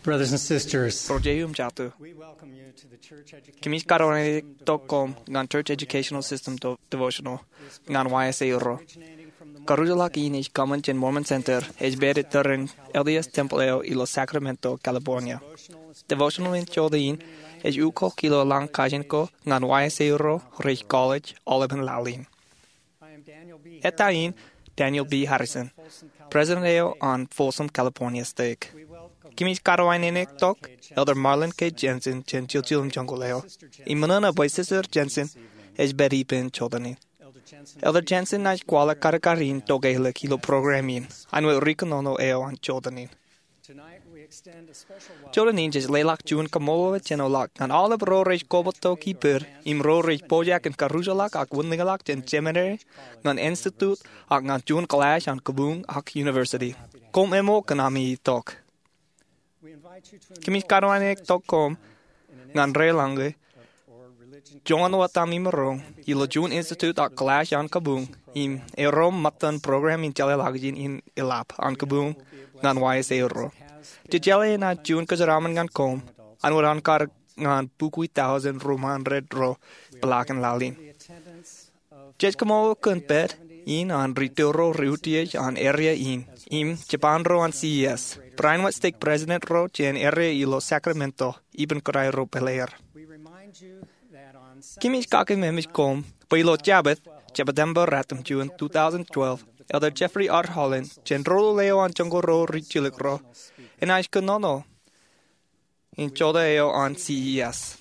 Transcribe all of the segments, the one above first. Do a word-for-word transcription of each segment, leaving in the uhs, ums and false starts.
Brothers and sisters, Ro jeiū im jatū, we welcome you to the church education kōmij karuwainene tok koṃ ñan Church Educational System do-, Devotional ñan Y S A Irooj. Karujoḷọk in ej kōṃṃan jān Mormon Center, ej pād itōrein L D S temple eo ilo Sacramento, California. Devotional in jota in ej ukok ilo lañ kajin ko ñan Y S A Irooj rej college aolepān laḷ in. Eta in Daniel B. Harrison, president eo an Folsom California Stake. Kōmij karuwainene tok Elder Marlin K. Jensen jān Chilchil im Joñoul eo. Im ṃōṇōṇō bwe Sister Jensen ej pād ippān jota in. Elder Jensen enaaj kwaḷọk kadkad in tokālik ilo program in, an wōt ri-kōnono eo an jota in. Jota in jej leḷọk juon kaṃṃoolol jenoḷọk ñan aolep ro rej koba tok ippād im ro rej pojak in karujoḷọk ak wūnin ḷọk jān seminary, ñan institute, ak ñan juon kōḷaaj an kabuñ ak university. Koṃ eṃool kōn ami tok. Kōmij karuwainene tok koṃ ñan deḷọñe joñan wōt ami maroñ ilo juon institute ak kōḷaaj an kabuñ im erom ṃōttan program in jeḷāḷọkjeṇ in eḷap an kabuñ ñan Y S A Irooj. Jej jeḷā enaaj juon kōjeraaṃṃan ñan koṃ an wōt an kar ñan bukwi tọujin ruwaṃṃan ro ro peḷaakin laḷ in. Jej kaṃṃoolol kōn pād in an ri-tōl ro rej utiej an area in im japan ro an C E S, barāinwōt stake president ro jān area ilo Sacramento, ippān kōrā ro pāleer. Kōmij kakeememej koṃ bwe ilo Jabōt, Jeptemba ratimjuon, two thousand twelve, Elder Jeffrey R. Holland, jān doulul eo an joñoul ro rijjilōk ro, enaaj kōnono in jota eo an C E S.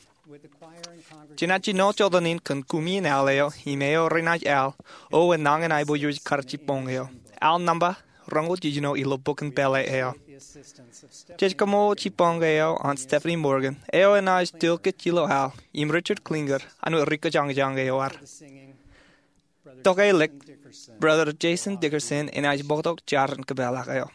Jenaaj jino jota in kōn kumi in al eo im eo renaaj al, o enañin aiboojoj kar jibboñ eo. Al nōṃba roñoul jiljino ilo bok in pālle eo. Jej kaṃṃoolol jibboñ eo an Stephanie Morgan, eo enaaj tōl kōj ilo al, im Richard Klinger, an wōt ri-kōjañjañ eo ad. Tokālik, Brother Jason Dickerson enaaj bōktok jar in kōpeḷḷọk eo.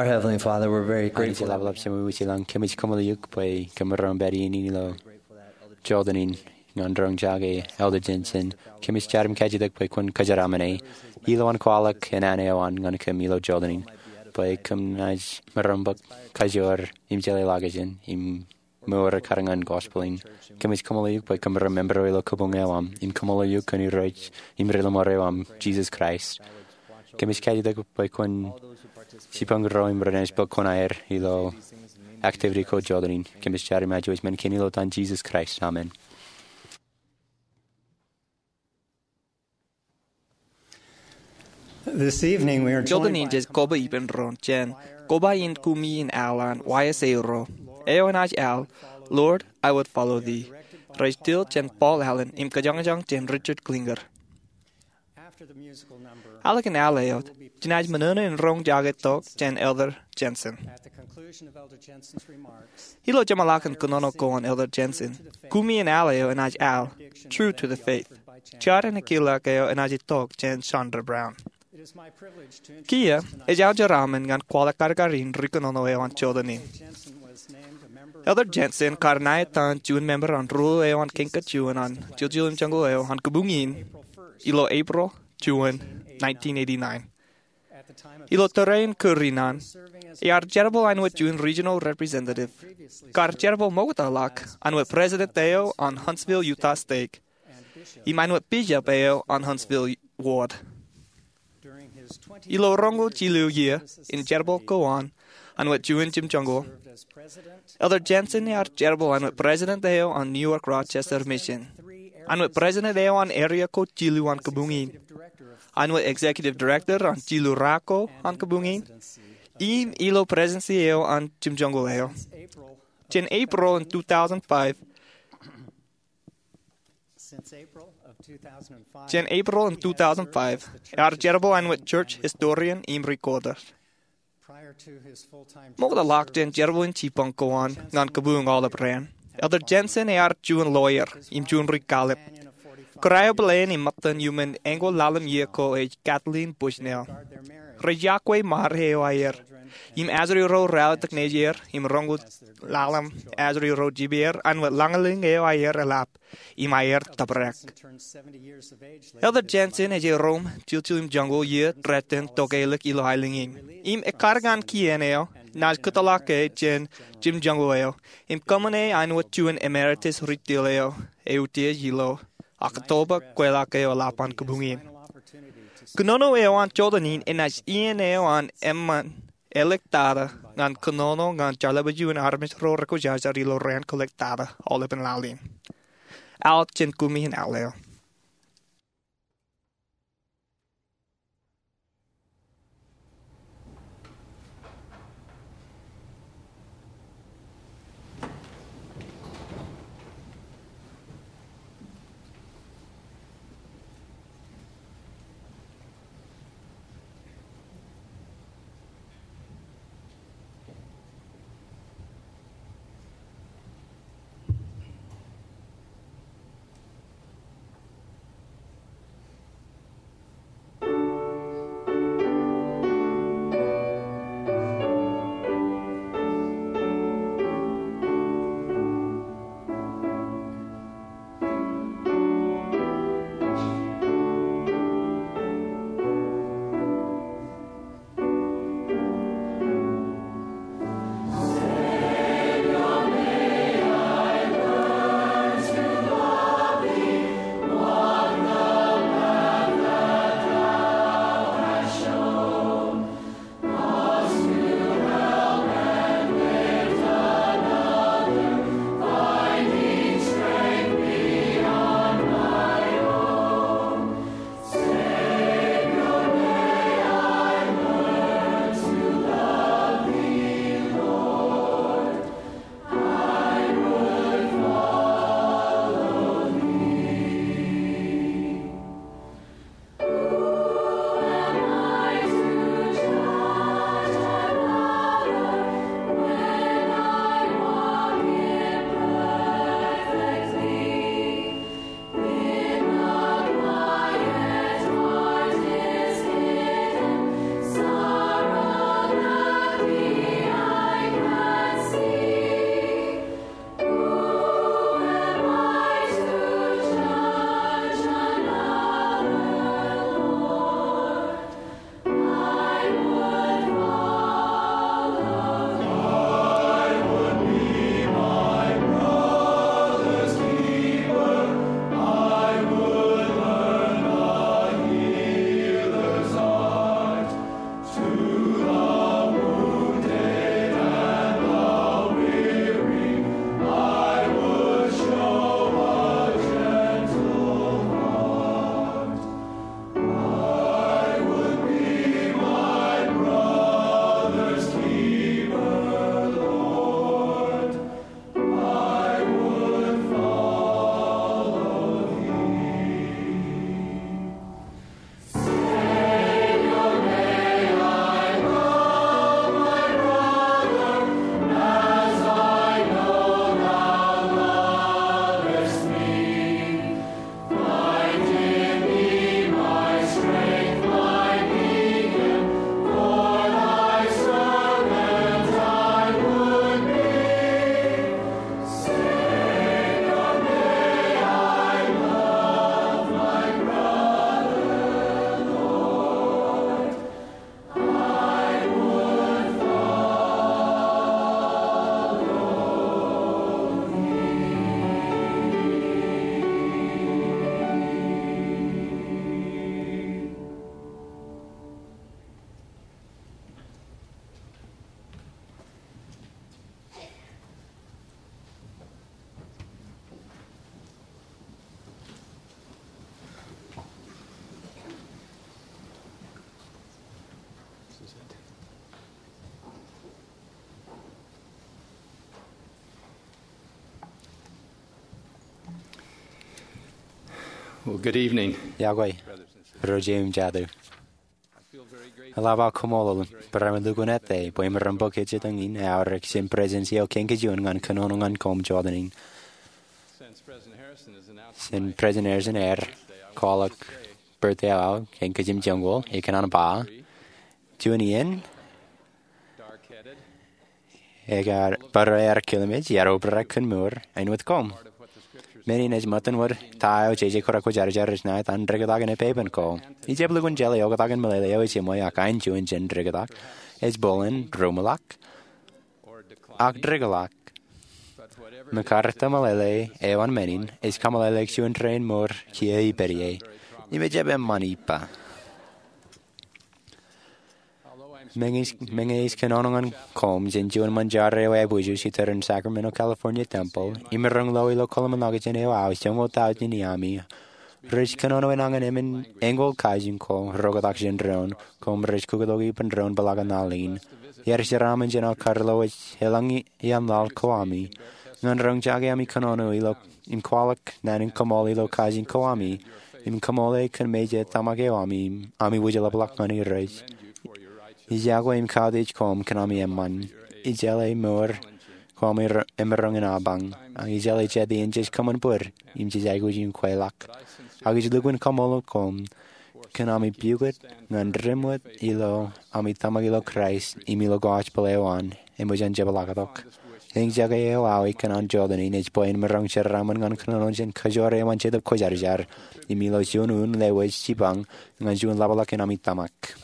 Our Heavenly Father, we're very Anij grateful. Ḷapḷap Jemem eo ej ilañ, kōmij kaṃṃoolol eok bwe kōm maroñ pād iien in ilo Jordan in ñan roñjake Elder Jensen. Kōmij jar im kajjitōk bwe kwōn kōjeraaṃṃan e. Ilowaan kwaḷọk āne eo an ñan kōm ilo Jordan in bwe kōm naaj maroñ bōk kajoor im jeḷā ḷọkjeṇ im mour ekkar ñan gospel in. Kōmij kaṃṃoolol eok bwe kōm ri member eo ilo kabuñ eo aṃ im kaṃṃoolol eok kōn Irooj im Rilọmọọr eo aṃ, Jesus Christ. Kōmij kajjitōk bwe kwōn jipañ ro im renaaj bōk kuṇaer ilo activity ko Jordan in. Kōmij jar im ajuwōj men kein ilo etan Jesus Christ. Amen. This evening we are joined Jordan in jej koba ippān doon jān koba in kumi in al an Y S A ro. Eo enaaj al, Lord, I Would Follow Thee. Rej til jān Paul Allen im kōjañjañ jān Richard Klinger. Ālikin al eo, jenaaj ṃōṇōṇō in roñjake tok jān Elder Jensen. Ilo jeṃḷọkin kōnono ko an Elder Jensen, kumi in al eo enaaj al, True to the Faith. Jar in ekilọk eo enaaj itok jān Sandra Brown. Kiiō, ej aō jeraaṃṃan ñan kwaḷọk karkar in ri kōnono eo an Jordan in. Elder Jensen kar ṇae etan juon member an ruo eo an kain kajjojo an Chilchil im Joñoul eo an kabuñ in ilo April juon nineteen eighty-nine. Ilo tōre in kūr in an, ear jerbal āinwōt juon regional representative, kar jerbal ṃoktaḷọk āinwōt president eo an Huntsville Utah Stake, im āinwōt bishop eo an Huntsville ward. Ilo roñoul jilu iiō in jerbal ko an āinwōt juon jimjuoñoul, Elder Jensen ear jerbal āinwōt president eo an New York Rochester Mission, āinwōt president eo an area ko jilu an kabuñ in, āinwōt executive director an jilu rā ko an kabuñ in, im ilo presidency eo an jimjuoñoul eo. Jān April in two thousand five, Jān April in two thousand five, ear jerbal āinwōt church historian im recorder. Ṃoktaḷọk jān jerbal in jipañ ko an ñan kabuñ aolep raan, Elder Jensen ear juon lawyer im juon ri-kallib. Kōrā eo bōlen im ṃōttan iuṃwin eñoul ḷalem iiō ko ej Kathleen Bushnell. Rej iọkwe ṃaar eo aer im ajri ro ralitōk nejier im roñoul ḷalem ajri ro jipeer āinwōt lañlōñ eo aer eḷap im aer tōprak. Elder Jensen ej erom Chilchil im Joñoul iiō rot in tokālik ilo aelōñ in. Im ekkar ñan kien eo, naaj kōtḷọk e jān jimjuoñoul eo im kōṃṃane āinwōt juon emeritus ri-tōl eo eutiej ilo Oktoba kweilọk eo eḷap an kabuñ in. Kōnono eo an Jordan in enaaj iien eo an eṃṃan āliktata ñan kōnono ñan jaḷabujuon armej ro rekwōjarjar ilo raan kōāliktata aolepān laḷ in. Al jān kumi in al eo. Well, good evening. Iọkwe, ro jeiū im jatū. Eḷap aō kaṃṃoolol barāinwōt lukkuun ettā bwe im maroñ bōk ejjeḷọk in aorōk jān Presidensi eo Kein Kajin ñan kōnono ñan koṃ jọteen in. Since President Harrison ear kwaḷọk birthday eo aō kōn kajjimjuonñoul, ikōṇaan ba, juon iien, ekar bar ear kilmej, ear obrak kōn mour āinwōt koṃ. Men in ej ṃōttan wōt ta eo jeje kōrā kwōjarjar ej ṇa etan diktak in epepen ko. Ijab lukkuun jeḷā oktak in meḷeḷe eo ejiṃwe ak aenjuon jān diktak, ej bōlen roṃwilaḷ ak dikḷọk. Im ekkar ta meḷeḷe eo an men in, ej kameḷeḷeik juon rein mour kiiō ipād ie. Im ejjab eṃṃan ippa. Meñe ij kōnono ñan koṃ jān juon ṃōn jare eo aebwijoj itōn Sacramento California Temple, im maroñ lo ilo kōḷmānḷọkjeṇ eo aō joñoul tọujin iami, rej kōnono enañin emān eñoul kajin ko reoktak jān doon, koṃ rej kukkuloki ippān doon peḷaakin laḷ in. Iar jeraaṃṃan jān aō kar lo ej eḷaññe iaan laḷ ko ami. Ñan roñjake ami kōnono ilo im kwaḷọk naan in kaṃool ilo kajin ko ami, im kaṃool e kōn mejān tōmak eo ami, ami wūjlepḷọk ñan Irooj. Ij iọkwe im kautiej koṃ kōn ami eṃṃan. Ij jeḷā mour ko ami emaroñ in apañ. Ak ij jeḷā jet iien jej kōṃanbōd im jej aikuj in kweilọk. Ak ij lukkuun kaṃṃoolol koṃ kōn ami pukot ñan dim wōt ilo ami tōmak ilo Kraist im ilo gospel eo an eṃōj an jepḷaaktok. Eñjake eo aō ikōṇaan jọteen in ej bwe en maroñ jeraaṃṃan ñan kōnono jān kajoor eo an Jetōb Kwōjarjar, im ilo juon un lewōj jipañ ñan juon ḷapḷọk in ami tōmak.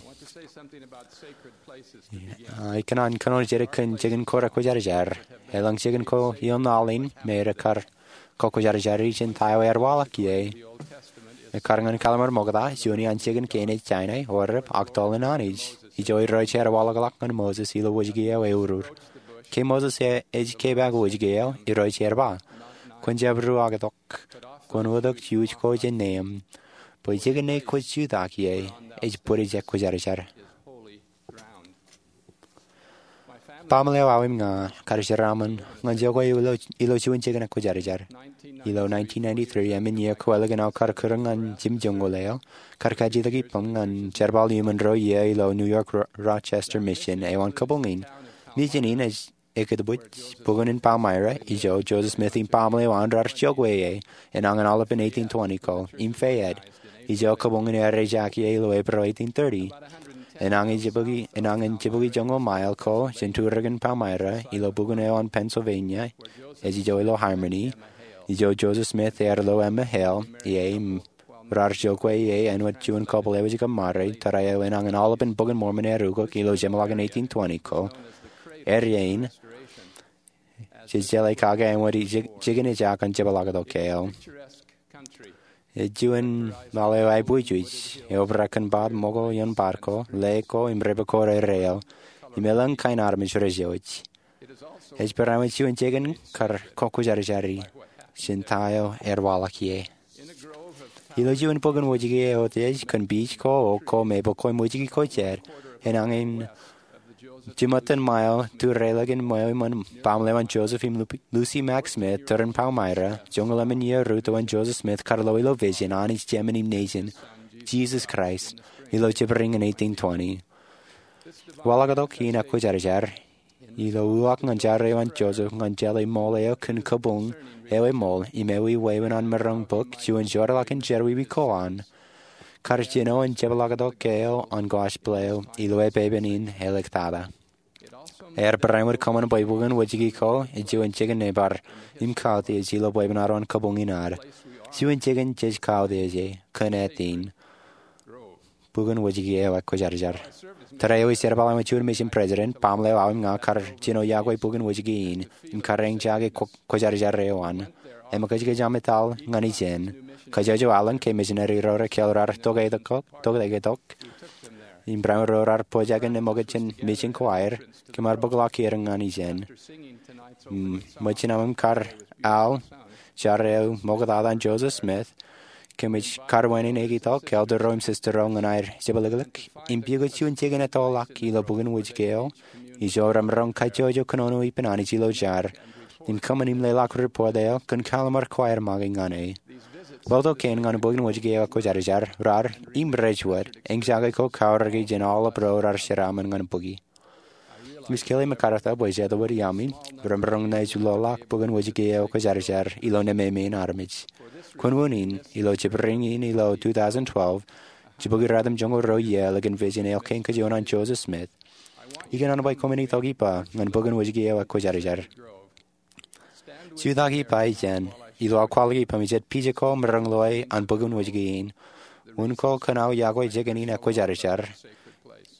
Ikōṇaan kōnono jidik kōn jikin kōrā kwōjarjar. Eḷaññe jikin ko ioon laḷ in me rej kar kokwōjarjari jān ta eo ear waḷọk ie, ekkar ñan Kallim̧ur Ṃokta, juon iaan jikin kein ej Sainai, orōb, ak tōl in Anij. Ijo Irooj ear waḷọkḷọk ñan Moses ilo wōjke eo eurur. Ke Moses ej kepaak wōjke eo, Irooj ear ba, kwōn jab ruwaaktok, kwōn wōtok juj ko jān neeṃ, bwe jikin ṇe kwōj jutak ie ej bōd ijek kwōjarjar. Baaṃle eo aō im ña kar jeraaṃṃan ñan jokwe ilo juon jikin kwōjarjar. Ilo nineteen ninety-three, emān iiō kwōlōk in aō kar kūr ñan jimjuonñoul eo, kar kajjitōk ippaṃ ñan jerbal iuṃwin ruo iiō ilo New York Ro-, Rochester Mission eo an kabuñ in. Mission in ej ekkōtbwij bukun in Palmyra, ijo Joseph Smith im baaṃle eo an raar jokwe ie enañin aolepān eighteen twenty ko, im Fayette, ijo kabuñ in ear ejake ie ilo April eighteen thirty. Enañin jibukwi, enañin jibukwi joñoul mael ko jān turikin Palmyra ilo bukun eo an Pennsylvania, ej ijo ilo Harmony, ijo Joseph Smith ear lo Emma Hale ie im raar jokwe ie āinwōt juon kōpeḷḷe eo ej kōṃṃare, tōre eo enañin aolepān Bok in Mormon ear ukok ilo jeṃḷọkin eighteen twenty ko. Area in, jej jeḷā kake āinwōt jikin ejak an jepḷaaktok eo. Ej juon laḷ eo aebwijwij, eobrak kōn bar ṃokta ioon bar ko, lake ko, im river ko rereoḷ, im elōñ kain armej rej jewōj. Ej barāinwōt juon jikin kar kokwōjarjari jān ta eo ear waḷọk ie. Ilo juon bukun wōjke eo eutiej kōn beach ko, oak ko, maple ko, im wōjke ko jet, enañin jiṃṃan mael turilakin ṃweo iṃōn baaṃle eo an Joseph im Lu-, Lucy Mack Smith, tōre in Palmyra, joñoul emān iiō ruo eo an Joseph Smith kar lo ilo vision Anij Jemān im Nejin, Jesus Christ, ilo jibrin in eighteen twenty. Waḷọktok in ekwōjarjar ilo uwaak ñan jare eo an Joseph ñan jeḷā ṃool eo kōn kabuñ eo eṃool im ewi wāween an maroñ bōk juon jorrāḷọk in jerọwiwi ko an, kar jino an jepḷaaktok eo an gospel eo ilo epepen in āliktata. Ear barāinwōt kōṃṃan bwe bukun wōjke ko ej juon jikin ṇe bar im kautiej ilo bwebwenato an kabuñ in ad. Juon jikin jej kautiej ie kōn ātin bukun wōjke eo ekwōjarjar. Tōre eo ij jerbal āinwōt juon mission president, baaṃle eo aō im ña kar jino iọkwe bukun wōjke in im kar eñjake kwōjarjar eo an. Eṃōkajkōj aṃ etal ñan ijeṇ. Kajjojo alen ke misineri ro rekāāl raar tokāiktok, tokāiktok im barāinwōt ro raar pojak in eṃōkaj jān mission ko aer, kōm ar bōkḷọk er ñan ijeṇ. Im ṃōjin aṃ kar al jare eo ṃoktata an Joseph Smith, kōmij kar wāween in eñjake tok elder ro im sister ro ñan aer jepḷaaktok im pukot juon jikin ettoḷọk ilo bukun wōjke eo. Ijo remaroñ kajjojo kōnono ippān Anij ilo jar im kōṃṃan im leḷọk report eo kōn kallim̧ur ko aer make ñan e. Lọto kein ñan bōkin wōjke eo ekwōjarjar raar im rej wōt eñjake ko kaorōki jān aolep ro raar jeraaṃṃan ñan bōki. Im ij kile im ekkar bwe jet wōt iaami remaroñ naaj loḷọk bōkin wōjke eo ekwōjarjar ilo nemāmein armej. Kōn unin, ilo jibrin in ilo two thousand twelve, jibukwi ratimjuonñoul ruo iiō ḷọkin vision eo kein kajuon an Joseph Smith, ikōṇaan bwe koṃwin itok ippa ñan bōkin wōjke eo ekwōjarjar. Jutak ippa jān ilo aō kwaḷọk ippaṃ jet pija ko maroñ loe an bōkin wōjke in, unin ko kōn aō iọkwe jikin in ekwōjarjar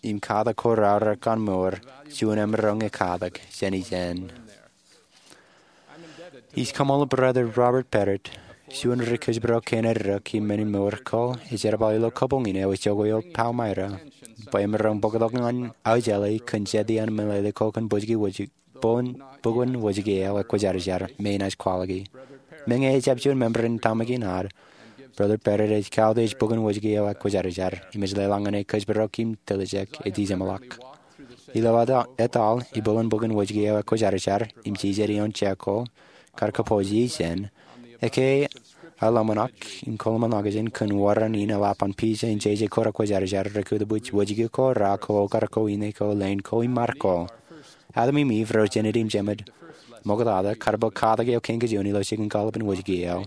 im katak ko raorōk an mour juon emaroñ ekatak jān ijeṇ. Ij kaṃṃoolol Brother Robert Barrett, juon ri-kōjparok kein eddek im men in mour ko, ej jerbal ilo kabuñ in eo ejako ilo Palmyra, bwe emaroñ bōktok ñan aō jeḷā kōn jet iaan meḷeḷe ko kōn bōkin wōjke eo ekwōjarjar me enaaj kwaḷọki. Meñe ejjab juon member in tōmak in ad, Brother Barrett ej kautiej bōkin wōjke eo ekwōjarjar im ej leḷọk ñan e kōjparok im tiljek e dijeṃḷọk. Ilo etal ibwilen bōkin wōjke eo ekwōjarjar im jijet ioon jako kar kōpooj ijeṇ, ekkā eḷōṃōṇak im kōḷmānḷọkjeṇ kōn wōran in eḷap an pija in jeje ko rekwōjarjar rekūtbwij wōjke ko, ra ko, okar ko, ine ko, leen ko im mar ko. Adam im Iv ro jenied im jemed ṃoktata kar bōk katak eo kein kajuon ilo jikin kaḷap in wōjke eo.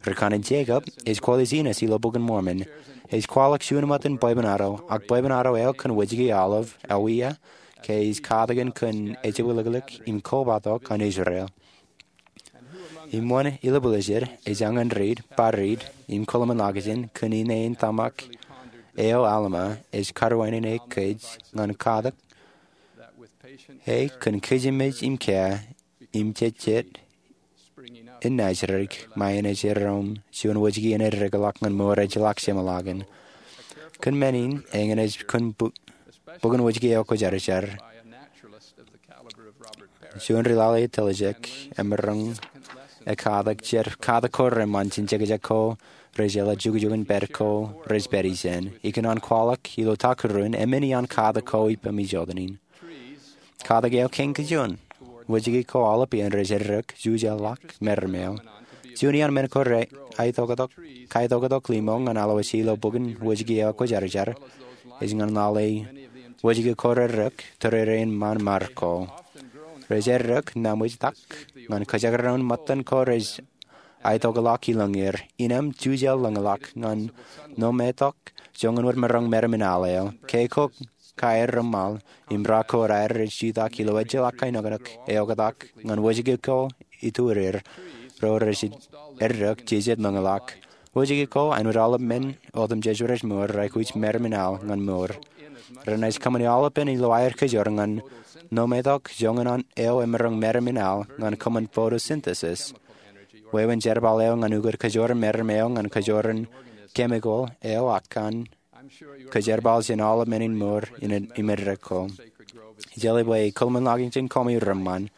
Ri-kanin Jekob ej kwaḷọk Jinesis ilo Bok in Mormon. Ej kwaḷọk juon ṃōttan bwebwenato, ak bwebwenato eo kōn wōjke aolep, ewia, ke ej katakin kōn ejebwilōklōk im kobatok an Israel. Im wōn ilo buḷōjed ej añin riit, bar riit, im kōḷmānḷọkjeṇ kōn ine in tōmak eo Alma ej kariwaineneik kōj ñan katak e kōn kōjmej im kea im jejjet in Nazareth, ṃae enaaj erom juon wōjke in eddekḷọk ñan mour ejjeḷọk jeṃḷọkin. Kōn men in, eñin ej kōn bōkin wōjke eo ekwōjarjar. Juon ri-lale etiljek emaroñ ekatak jet katak ko reṃṃan jān jekjek ko rej jeḷā, jukjuk in pād ko rej pād ijeṇ. Ikōṇaan kwaḷọk ilo ta kūrun, emān iaan katak ko ippaṃ ijjotōnin. Katak eo kein kajuon, wōjke ko aolep iien rej eddek, jujeḷḷọk meram eo. Juon iaan men ko rej aetoktok, kaetoktok limo ñan alwōj ilo bōkin wōjke eo ekwōjarjar, ej ñan lale wōjke ko reddek, tōrerein ṃaan mar ko. Rej eddek, naṃōjtak, ñan kōjekdọọn ṃōttan ko rej aetokḷọk ilōñ er, innām jujeḷ ḷōñḷọk ñan nometok joñan wōt maroñ meram in al eo. Ke ko kaerrōṃṃan im ra ko raer rej jutak ilo ejjeḷọk kainōknōk eoktak ñan wōjke ko iturir ro rej eddek jijet ḷōñḷọk. Wōjke ko āinwōt aolep men otemjej rej mour, raikuj meram in al ñan mour. Renaaj kōṃṃane aolepān ilo aer kajoor ñan nometok joñan eo emaroñ meram in al ñan kōṃṃan photosynthesis, wāween jerbal eo ñan ukōt kajoor meram eo ñan kajoor in chemical eo ak kōn kajerbal jān aolep men in mour im eddek ko. Ij jeḷā bwe kōḷmānḷọkjeṇ koṃ reṃṃan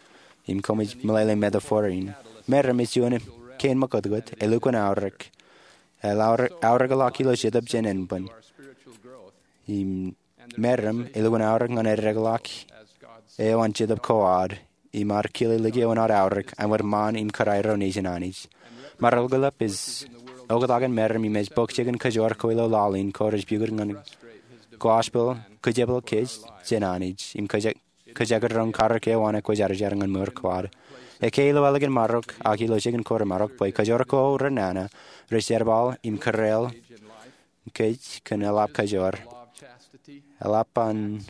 im koṃij meḷeḷe metaphor in. Meram ej juon kein ṃōkotkot, elukkuun aorōk. Eḷap aorōkḷọk ilo jetōb jān ānbwin. Im meram elukkuun aorōk ñan eddekḷọk eo an Jetōb ko ad im ad kile likioin ad aorōk āinwōt ṃaan im kōrā ro nejin Anij. Maroñ kōḷḷap ej oktak in meram im ej bōk jikin kajoor ko ilo laḷ in ko rej pukot ñan gospel kōjepel kōj jān Anij im kōjekdọọn karōk eo an ekwōjarjar ñan mour ko ad. Ekkā ilo ālikin marok ak ilo jikin ko remaroñ bwe kajoor ko renana rej jerbal im kōrā kōj kōn eḷap kajoor. Eḷap an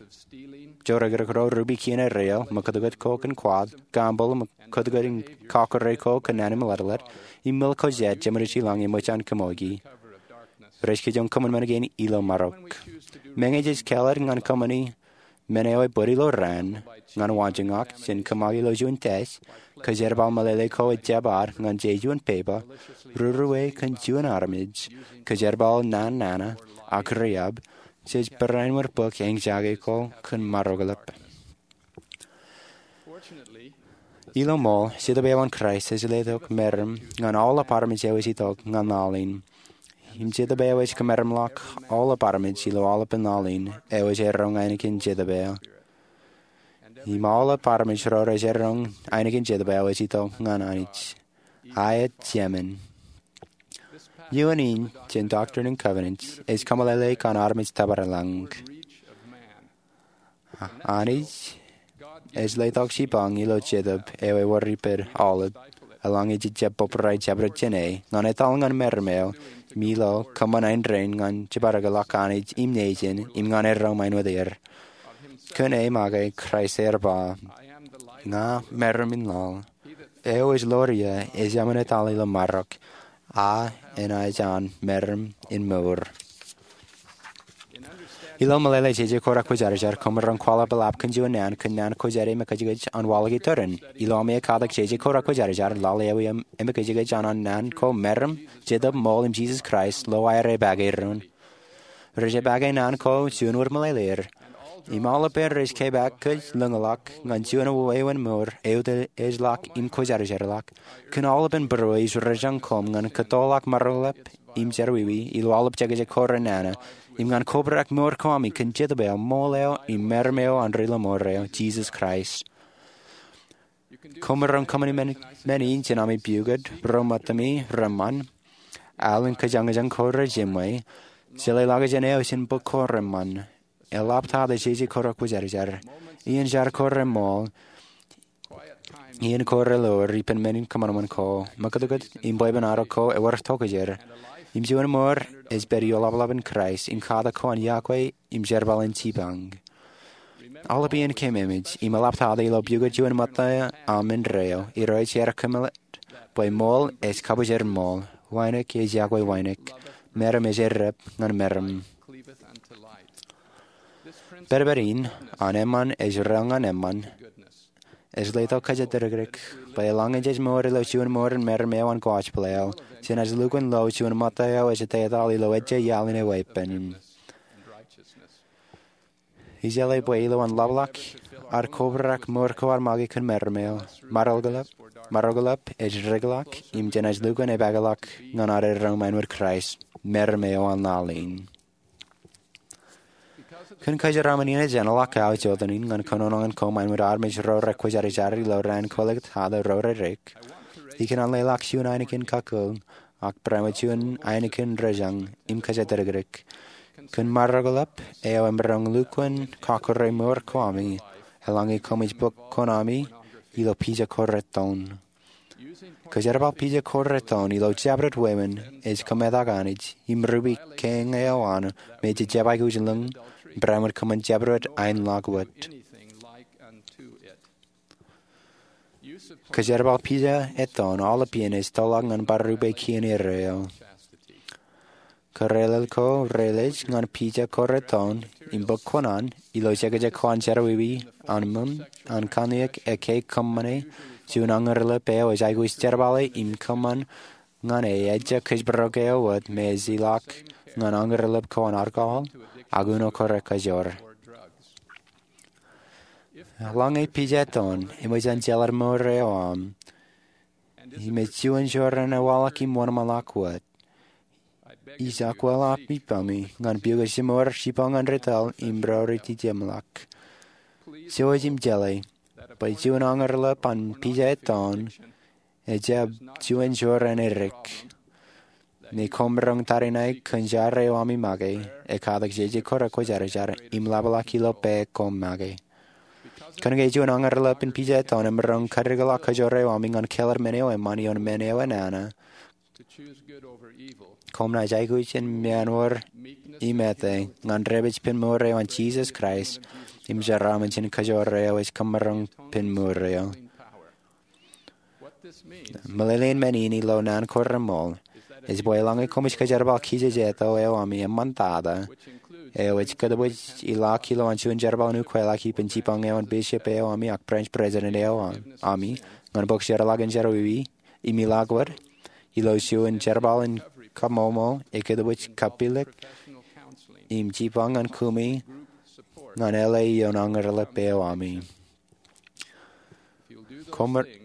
joorōkrōk ro rupi kien erreo, ṃōkotkot ko kōn kwaḷ, gambling, ṃōkotkot in kakure ko kōn naan im ḷadlad, im mil ko jet jeṃōj ilañ im ṃōj an kaṃoki. Rej kijoñ kōṃanṃan kein ilo marok. Meñe jej kāālōt ñan kōṃṃani men eo ebōd ilo raan, ñan waanjoñak jān kōṃṃake ilo juon test, kajerbal meḷeḷe ko ejjab ad ñan je juon pepa, ruru e kōn juon armej, kajerbal naan nana, ak riab, jej barāinwōt bōk eñjake ko kōn maroñ kōḷḷap. Ilo ṃool, Jetōb eo an Kraist ej letok meram ñan aolep armej eo ej itok ñan laḷ in. Im Jetōb eo ej kōmeramḷọk aolep armej ilo aolepān laḷ in eo ej eroñ ainikien Jetōb eo. Im aolep armej ro rej eroñ ainikien Jetōb eo ej itok ñan Anij. Aet, jemān. Iuun in jān Doctrine and Covenants ej kōmeḷeḷeik an armej tōpar lañ. Anij ej letok jipañ ilo jetōb eo ewōr ippān aolep, eḷaññe jej jab bōbrae jabdewōt jāne, ñan etal ñan meram eo im ilo kōṃṃan āindein ñan jepārōkḷọk Anij im nejin im ñan erro ṃaen wōt er. Kōn e make Kraist ear ba, Ña meram in laḷ. Eo ej ḷoor ie ejāmin etal ilo marok, a enaaj an meram in mour. Ilo meḷeḷe, jeje ko rekwōjarjar, koṃ maroñ kwaḷọk ḷap kōn juon naan kōn naan kwōjarjar im ekajekaj an waḷọk iturin. Ilo ami ekkatak jeje ko rekwōjarjar, lale ewi emekajekaj an naan ko meram, jetōb, ṃool im Jesus Christ, lo aer epake doon. Rej epake naan ko juon wōt meḷeḷe er. Im aolepān rej kepaak kōj lōñḷọk ñan juon wāween mour eo ej ḷọk im kwōjarjarḷọk. Kōn aolepān būruō ij rejañ koṃ ñan kōttoḷọk maroñḷọk im jerọwiwi ilo aolep jekjek ko renana, im ñan kobrak mour ko ami kōn Jetōb eo, ṃool eo, im meram eo an ri ḷōṃaro, Jesus Christ. Koṃ maroñ kōṃṃani men in jān ami pukot, būruō ṃōttami reṃṃan, al in kōjañjañ ko rejiṃwe, jeḷā ḷọkjeṇ eo jān bok ko reṃṃan, eḷaptata jeje ko rekwōjarjar, iien jar ko reṃool, iien ko reloor ippān men in kōṃanṃan ko, ṃōkutkut im bwebwenato ko ewōr tokjāer, im juon mour ej pād ioḷapḷap in Kraist im katak ko an iọkwe im jerbal in jipañ. Aolep iien keememej im eḷaptata ilo pukot juon ṃōtta aṃ indeeo, Irooj ear kōmeḷeḷe bwe ṃool ej kabwijin ṃool, wānōk ej iọkwe wānōk, meram ej errep ñan meram. Pedped in an eṃṃan ej reel ñan eṃṃan ej letok kōjatdikdik bwe eḷaññe jej mour ilo juon mour in meram eo an gospel eo, jenaaj lukkuun lo juon ṃōtta eo ej etetal ilo ejja iaḷ in eweeppān. Ij jeḷā bwe ilo an ḷapḷọk ad kobrak mour ko ad make kōn meram eo, maroñḷọk ej dikḷọk im jenaaj lukkuun epakeḷọk ñan ad erro ṃaen wōt Kraist, meram eo an laḷ in. Kōn kōjeraaṃṃan in ej eṇ ḷọk aō jotenin ñan kōnono in ko ṃaen wōt armej ro rekwōjarjar ilo raan kwōlōktata ro redik, ikōṇaan leḷọk juon ainikien kakkōḷ ak barāinwōt juon ainikien rejañ im kōjatdikdik kōn maroñḷọk eo emaroñ lukkuun kọkkure mour ko ami eḷaññe koṃij bōk kuṇaami ilo pija ko reton. Kōjerbal pija ko reton ilo jabdewōt wāween ej kōmetak Anij im rupe kein eo an me jej jab aikuj lōñ barāinwōt kōṃṃan jabdewōt aenḷọk wōt. Kōjerbal pija eton aolepān ej tōḷọk ñan bar rupe kien erreo. Kōrelel ko reelej ñan pija ko reton im bōk kuṇaan ilo jekjek ko an jerọwiwi an ṃōn an kanniōk ekkā kōṃṃane juon añōrḷap eo ej aikuj jerbale im kōṃṃan ñan e ejja kōjparok eo wōt me ej ilọk ñan añōrḷap ko an alkohol ak uno ko rekajor. Eḷaññe pija eton eṃōj an jeḷā mour eo aṃ im ej juon jorrāān ewaḷọk im wōnṃaanḷọk wōt, ij akwāḷọk ippaṃ ñan pukot jimour jipañ ñan ri tōl im ro ri jemḷọk. Jouj im jeḷā bwe juon añōrḷap an pija eton ejjab juon jorrāān edik. Ñe koṃ maroñ tariṇae kōn jar eo ami make, ekkatak jeje ko rekwōjarjar im ḷapḷọk ilo pā koṃ make. Kōnke juon añōrḷap in pija eton emaroñ kadikḷọk kōjro eo ami ñan kāālōt men eo eṃṃan ioon men eo enana, koṃ naaj aikuj in meanwōr im ete ñan dāpij pen mour eo an Jisōs Kraist im jeraaṃṃan jān kōjro eo ej kōṃṃan pen mour eo. Meḷeḷein men in ilo naan ko reṃool ej bwe eḷaññe koṃij kōjerbal kijejeto eo ami eṃṃantata, eo ej kōtōpoj ilọk ilo an juon jerbal in ukeḷọk ippān jipañ eo an bishop eo ami ak branch president eo ami ñan bōk jeorḷọk in jerọwiwi im ilọk wōt ilo juon jerbal in kaṃṃoolmol, ekōtōpoj kapilōk im jipañ ñan kumi ñan L A ioon añōrḷap eo ami.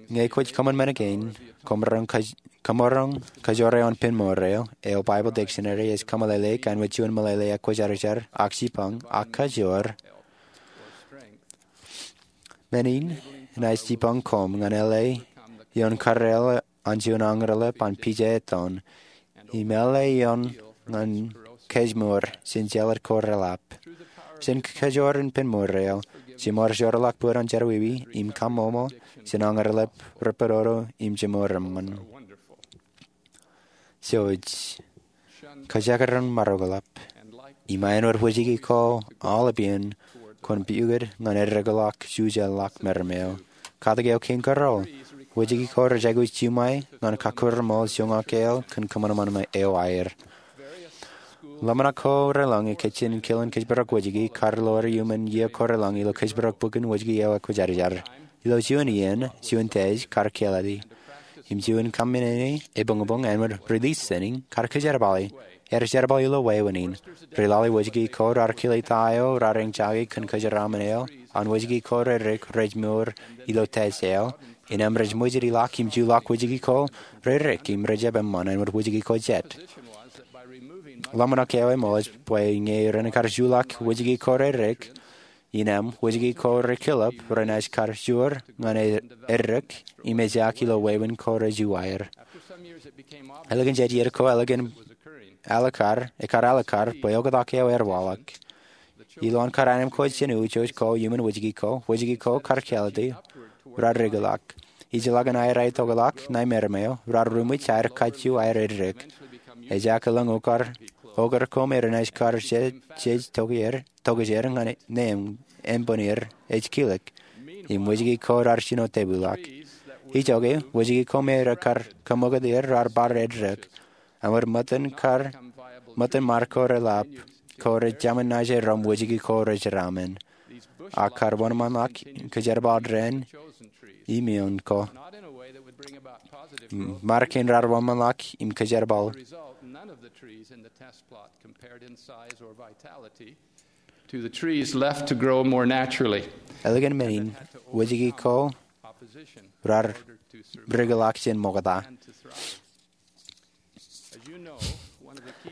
Ñe kwōj kōṃṃan men kein, koṃ maroñ kōj-, koṃ maroñ kōjro eo an pen mour eo, eo Bible Dictionary ej kōmeḷeḷeik āinwōt juon meḷeḷe ekwōjarjar ak jipañ ak kōjro. Men in enaaj jipañ koṃ ñan L A ioon karreoḷ an juon añōrḷap an pija eton im eḷḷā ioon ñan kōjmour jān jeḷā ko reḷap. Jān kōjro in pen mour eo, jimor jorḷọk bōd an jerọwiwi im kaṃṃoolmol jān añerḷap, ripōd oto im jimor eṃṃan. Jouj, kōjekdọọn maroñ eḷap. Im āinwōt wōjke ko aolepān, kwōn pukot ñan eddekḷọk jujālḷọk meram eo. Katak eo kein kōrọọl, wōjke ko rej aikuj juṃae ñan kakūrṃool joñak eo kōn kōṃanṃan eo aer. Ḷōmṇak ko reḷọñi kōj jān kilen kōjparok wōjke kar lowaan iuṃwin iiō ko reḷọñi ilo kōjparok bukun wōjke eo ekwōjarjar. Ilo juon iien, juon test kar kāālōt ie. Im juon kaṃṃane ebuñbuñ āinwōt release center kar kōjerbali. Ej jerbal ilo wāween in. Ri-lale wōjke ko raar kile ta eo raar eñjake kōn kōjeraaṃṃan eo an wōjke ko rerik rej mour ilo test eo. Innām rej ṃwijit ḷọk im juḷọk wōjke ko rerik im rejjab eṃṃan āinwōt wōjke ko jet. Ḷōmṇak eo eṃōj bwe ñe ren kar juḷọk wōjke ko rerik, innām wōjke ko rekilep renaaj kar joor ñan eddek im ejaak ilo wāween ko rejuwaer. Ālikin jet iiō ko ālikin alikkar, ekkar alikkar bwe oktak eo ear waḷọk. Ilowaan kar anemkwōj jān ujoj ko iuṃwin wōjke ko, wōjke ko kar kāālōt ie, raar dikeḷọk. Ijellọkin aer aetokḷọk ṇae meram eo, raar ruṃwij aer kajju aer eddek. Ejaak elōñ okar, okar ko me renaaj kar jej, jej tokjāer, tokjāer ñan neeṃ, eṃṃan er ej kilōk. Im wōjke ko raar jino tepilḷọk. Ijoke, wōjke ko me rekar kaṃṃoolol er raar bar eddek. Āinwōt ṃōttan kar, ṃōttan mar ko reḷap, ko rej jaṃin naaj erom wōjke ko rejeraaṃṃan. Ak kar wōnṃaanḷọk kōjerbal dān im ioon ko. Mar kein raar wōnṃaanḷọk im kōjerbal. To the trees left to grow more naturally. Ālikin men in, wōjke ko raar dikeḷọk jān ṃokta.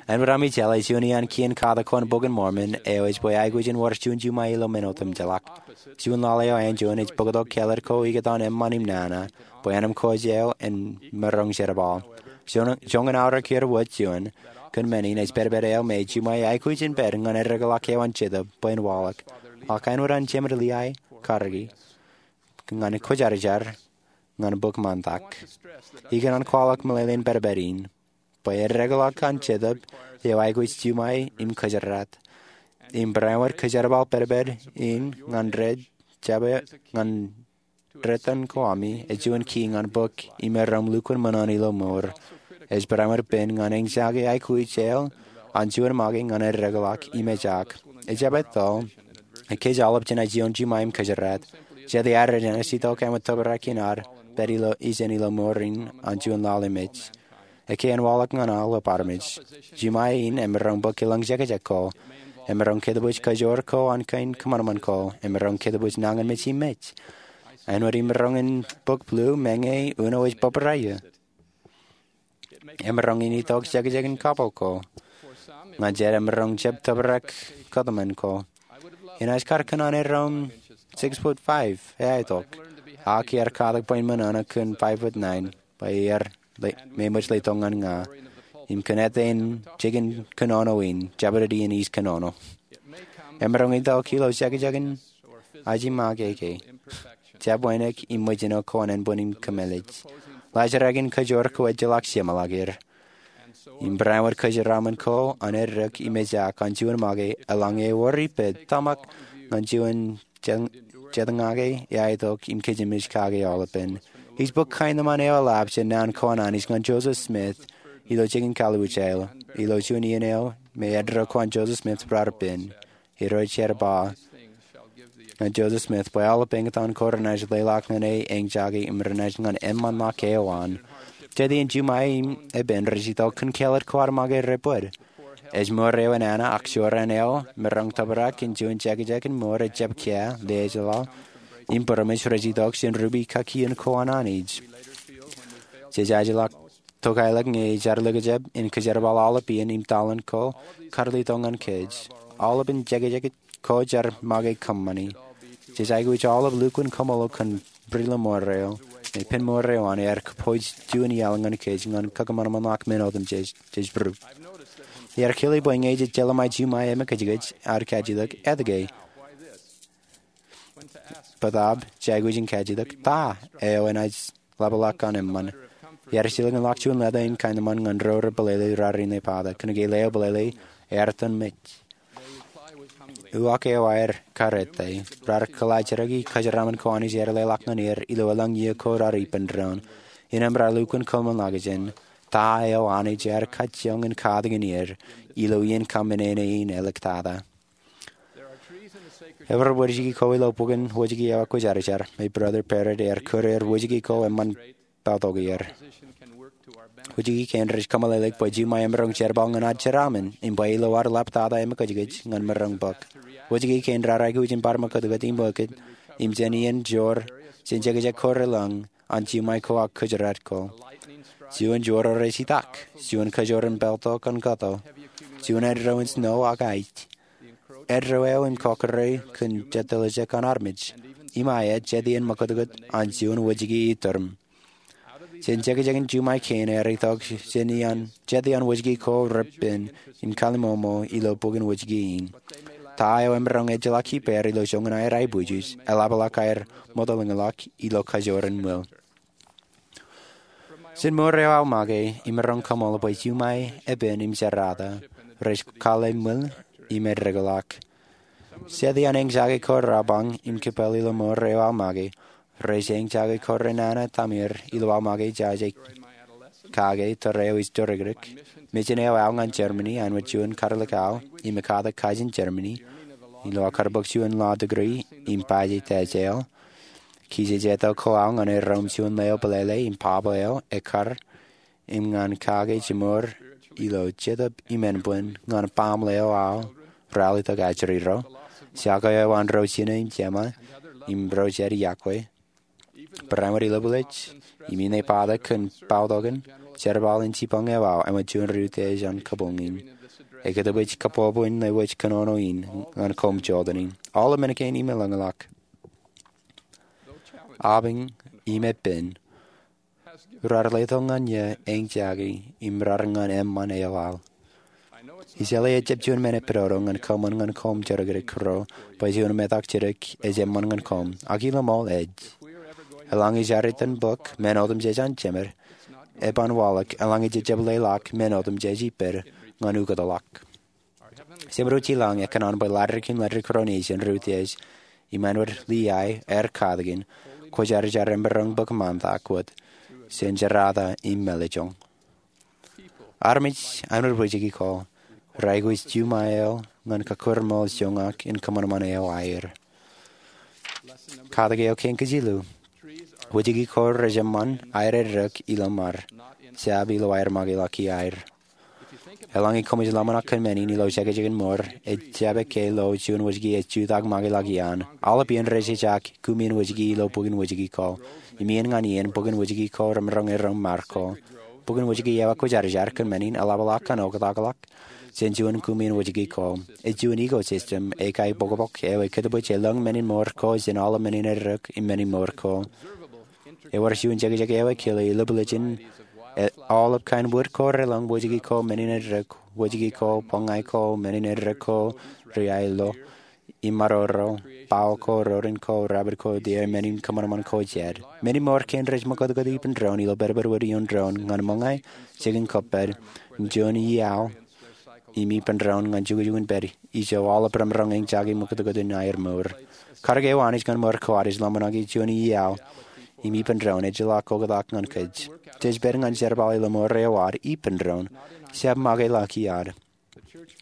Āinwōt ami jeḷā, juon iaan kien katak ko an Bok in Mormon eo ej bwe aikuj in wōr juon juṃae ilo men otemjeḷọk. Juon lale eo anjọ in ej bōktok kāālōt ko ikōtaan eṃṃan im nana, bwe anemkwōj eo en maroñ jerbal. Joñan, joñan aorōk er wōt juon, kōn men in ej pedped eo me juṃae aikuj in pād ñan eddekḷọk eo an Jetōb bwe en waḷọk. Ak āinwōt an Jemān Lehi karōki, ñan kwōjarjar ñan bōk ṃaantak. Ikōṇaan kwaḷọk meḷeḷein pedped in, bwe eddekḷọk an Jetōb eo aikuj juṃae im kōjdat. Im barāinwōt kōjerbal pedped in ñan rej jab ñan rej itan ko ami, ej juon key ñan bōk im erom lukkuun ṃōṇōṇō ilo mour. Ej barāinwōt pen ñan eñjake aikuj eo an juon make ñan eddekḷọk im ejaak. Ejjab etto, kōj aolep jenaaj ioon juṃae im kōjdat. Jete aer jenaaj itok āinwōt tōprak in ad pād ilo ijeṇ ilo mour in an juon lale mej. Ekkā en waḷọk ñan aolep armej. Juṃae in emaroñ bōk elōñ jekjek ko. Emaroñ kōtbwij kajoor ko an kein kōṃanṃan ko. Emaroñ kōtbwij nañinmej im mej. Āinwōt imaroñ in bōk blu meñe uno ej bōbrae eō. Emaroñ in itok jekjekin kapo ko. Ñan jet emaroñ jab tōprak kōtmān ko. Inaaj kar kōṇaan erom six foot five e aetok. Ak iar katak bwe in ṃōṇōṇō kōn five foot nine. Bwe iar le-, me ṃōj letok ñan ña. Im kōn ete in jikin kōnono in, jabdewōt iien iij kōnono. Emaroñ itok ilo jekjekin ajimake ke. Jab wānōk im ṃōjṇọ ko an ānbwin im kōmālij. Laajrak in kajoor ko ejjeḷọk jeṃḷọk er. Im barāinwōt kōjeraaṃṃan ko an eddek im ejaak an juon make eḷaññe ewōr ippān tōmak ñan juon jet-, jetñake e aetok im kōjemej kake aolepen. Ij bōk kaenōṃṃan eo eḷap jān naan ko an Anij ñan Joseph Smith ilo jikin Kalibuta eo. Ilo juon iien eo me eddo ko an Joseph Smith raar pen. Irooj ej ba ñan Joseph Smith bwe aolep eñtaan ko renaaj leḷọk ñan e eñjake im renaaj ñan eṃṃanḷọk eo an. Jet iien juṃae im epen rej itok kōn kāālōt ko ad make rej bōd. Ej mour eo enana ak jorrāān eo maroñ tōprak in juon jekjek in mour ejjab kiiō, lejeḷā, im būroṃōj rej itok jān rup ikakkiin ko an Anij. Jej ajeḷọk tokaelōk ñe ej ad likjab in kōjerbal aolep iien im taḷen ko kar letok ñan kōj. Aolepen jekjek ko jar make kōṃṃani. Jej aikuj aolep lukkuun kaṃṃoolol kōn bwidlōñ mour eo. Im pen mour eo an ear kōpooj juon iaḷ ñan kōj ñan kakōṃanṃanḷọk men otemjej, jej būrup. Ear kile bwe ñe jej jeḷā ṃae juṃae emōkajkōj ad kajjitōk, etke? Bōtaab jej aikuj in kajjitōk, ta eo enaaj ḷapḷọk an eṃṃan? Ear jilkinḷọk juon leta im kain eṃṃan ñan ro rej bōlele raan in epata. Kōnke leo bōlele ear tōn mej. Uwaak eo aer karrette. Raar kōḷaajraki kōjeraaṃṃan ko Anij ear leḷọk ñan er ilo eḷaññe iiō ko raar ippān doon. Innām raar lukkuun kōṃṃanḷọkjeṇ ta eo Anij ear kajjioñ in katakin er ilo iien kaṃṃenene in āliktata. Ebar wōjke ko ilo bok in Wōjke eo akwōjarjar, me Brother Barrett ear kōrā er wōjke ko eṃṃan pāltok er. Wōjke kein rej kōmeḷeḷeik bwe juṃae emaroñ jerbal ñan ad jeraaṃṃan im bwe ilo ad ḷaptata emōkajkōj ñan maroñ bōk. Wōjke kein raar aikuj in bar ṃakūtkūt im ṃakūt im jān iien joor jān jekjek ko relōñ an juṃae ko ak kōjdat ko. Juon joor rej itak, juon kajoor in pāltok an kato, juon eddo in snow ak aij, eddo eo im kọkkure kōn jet toḷ eo an armej. Im aet, jet iien ṃakūtkūt an juon wōjke iturin. Jān jekjek in juṃae kein ear itok jān iien, jet iien wōjke ko repen im kalliṃōṃō ilo bok in Wōjke in. Ta eo emaroñ ejjeḷọk ippāer ilo joñan aer aebwijej, eḷapḷọk aer ṃōtolōñḷọk ilo kajoor in ṃwil. Jān mour eo aō make, imaroñ kaṃool bwe juṃae, epen im jerata rej kallib ṃwil im eddeḷọk. Jet iien eñjake ko rabañ im kipel ilo mour eo aō make, rej eñjake ko renana tamir ilo aō make jaje kake tōre eo ij torikdik. Mejān eo aō ñan Germany āinwōt juon karilik aō im ekkatak kajin Germany ilo aō kar bōk juon law degree im paje tajeḷ. Kijeje etal ko aō ñan erom juon leo bōlele im baba eo ekkar im ñan kake jemour ilo jetōb imenbwin ñan baaṃle eo aō ralitōk ajri ro, jako eo an ro jine im jema im ro jet iọkwe. Barāinwōt ilobelej im inepata kōn pāltokan jerbal in jipañ eo aō āinwōt juon rūtiej an kabuñ in. Ekōtbwij kabobwe in ewōj kōnono in ñan koṃ jota in. Aolep men kein im elōñḷọk. Abñ im epen raar letok ñan eō eñjake im raar ñan eṃṃan eo aō. Ij jeḷā ejjab juon men epidodo ñan kōṃṃan ñan koṃ jerọwiwi ro bwe juon metak jidik ej eṃṃan ñan koṃ, ak ilo ṃool ej. Eḷaññe jaar itan bōk men otemjej an jemed, eban waḷọk eḷaññe jej jab leḷọk men otemjej ippād ñan ukōtḷọk. Jemed eo ej ilañ ekōṇaan bwe ḷaddik im ḷaddik ro nejin rūtiej im āinwōt Liai ear katakin, kwōjarjar im maroñ bōk ṃaantak wōt jān jerata im mālejjoñ. Armej āinwōt wōjke ko, raikuj juṃae eo ñan kakūrmool joñak in kōṃanṃan eo aer. Katak eo kein kōj ilo. Wōjke ko rej eṃṃan aer eddek ilo ṃad, jab ilo aer make ḷọk iaer. Eḷaññe koṃij ḷōmṇak kōn men in ilo jekjek in mour, ejjab ekkā lo juon wōjke ej jutak make ḷọk iaan. Aolep iien rej ejak kumi in wōjke ilo bok in wōjke ko. Im iien ñan iien bok in wōjke ko remaroñ erom ṃad ko. Bok in wōjke eo akwōjarjar kōn men in eḷapḷọk an oktakḷọk jān juon kumi in wōjke ko. Ej juon ecosystem, ekae bōkbōk eo ekōtbwij elōñ men in mour ko jān aolep men in eddek im men in mour ko. Ewōr juon jekjek eo ekile ilobelej in aolep kain wōt ko relōñ wōjke ko, men in eddek wōjke ko, bōñā ko, men in eddek ko, ri aello, im maroro, bao ko, rorin ko, rabid ko, deer, men in kōṃanṃan ko jān men in mour kein rej ṃakūtkūt ippān doon ilo pedped wōt ioon doon ñan ṃōñā, jikin kōppād, im juon iaḷ im ippān doon ñan jukjuk in pād ijo aolep remaroñ eñjake ṃakūtkūt in aer mour. Katak eo Anij ñan mour ko ad ej ḷōmṇaki juon iaḷ im ippān doon ejjeḷọk oktak ñan kōj. Jej pād ñan jerbal ilo mour eo ad ippān doon, jab make ḷọk iaad.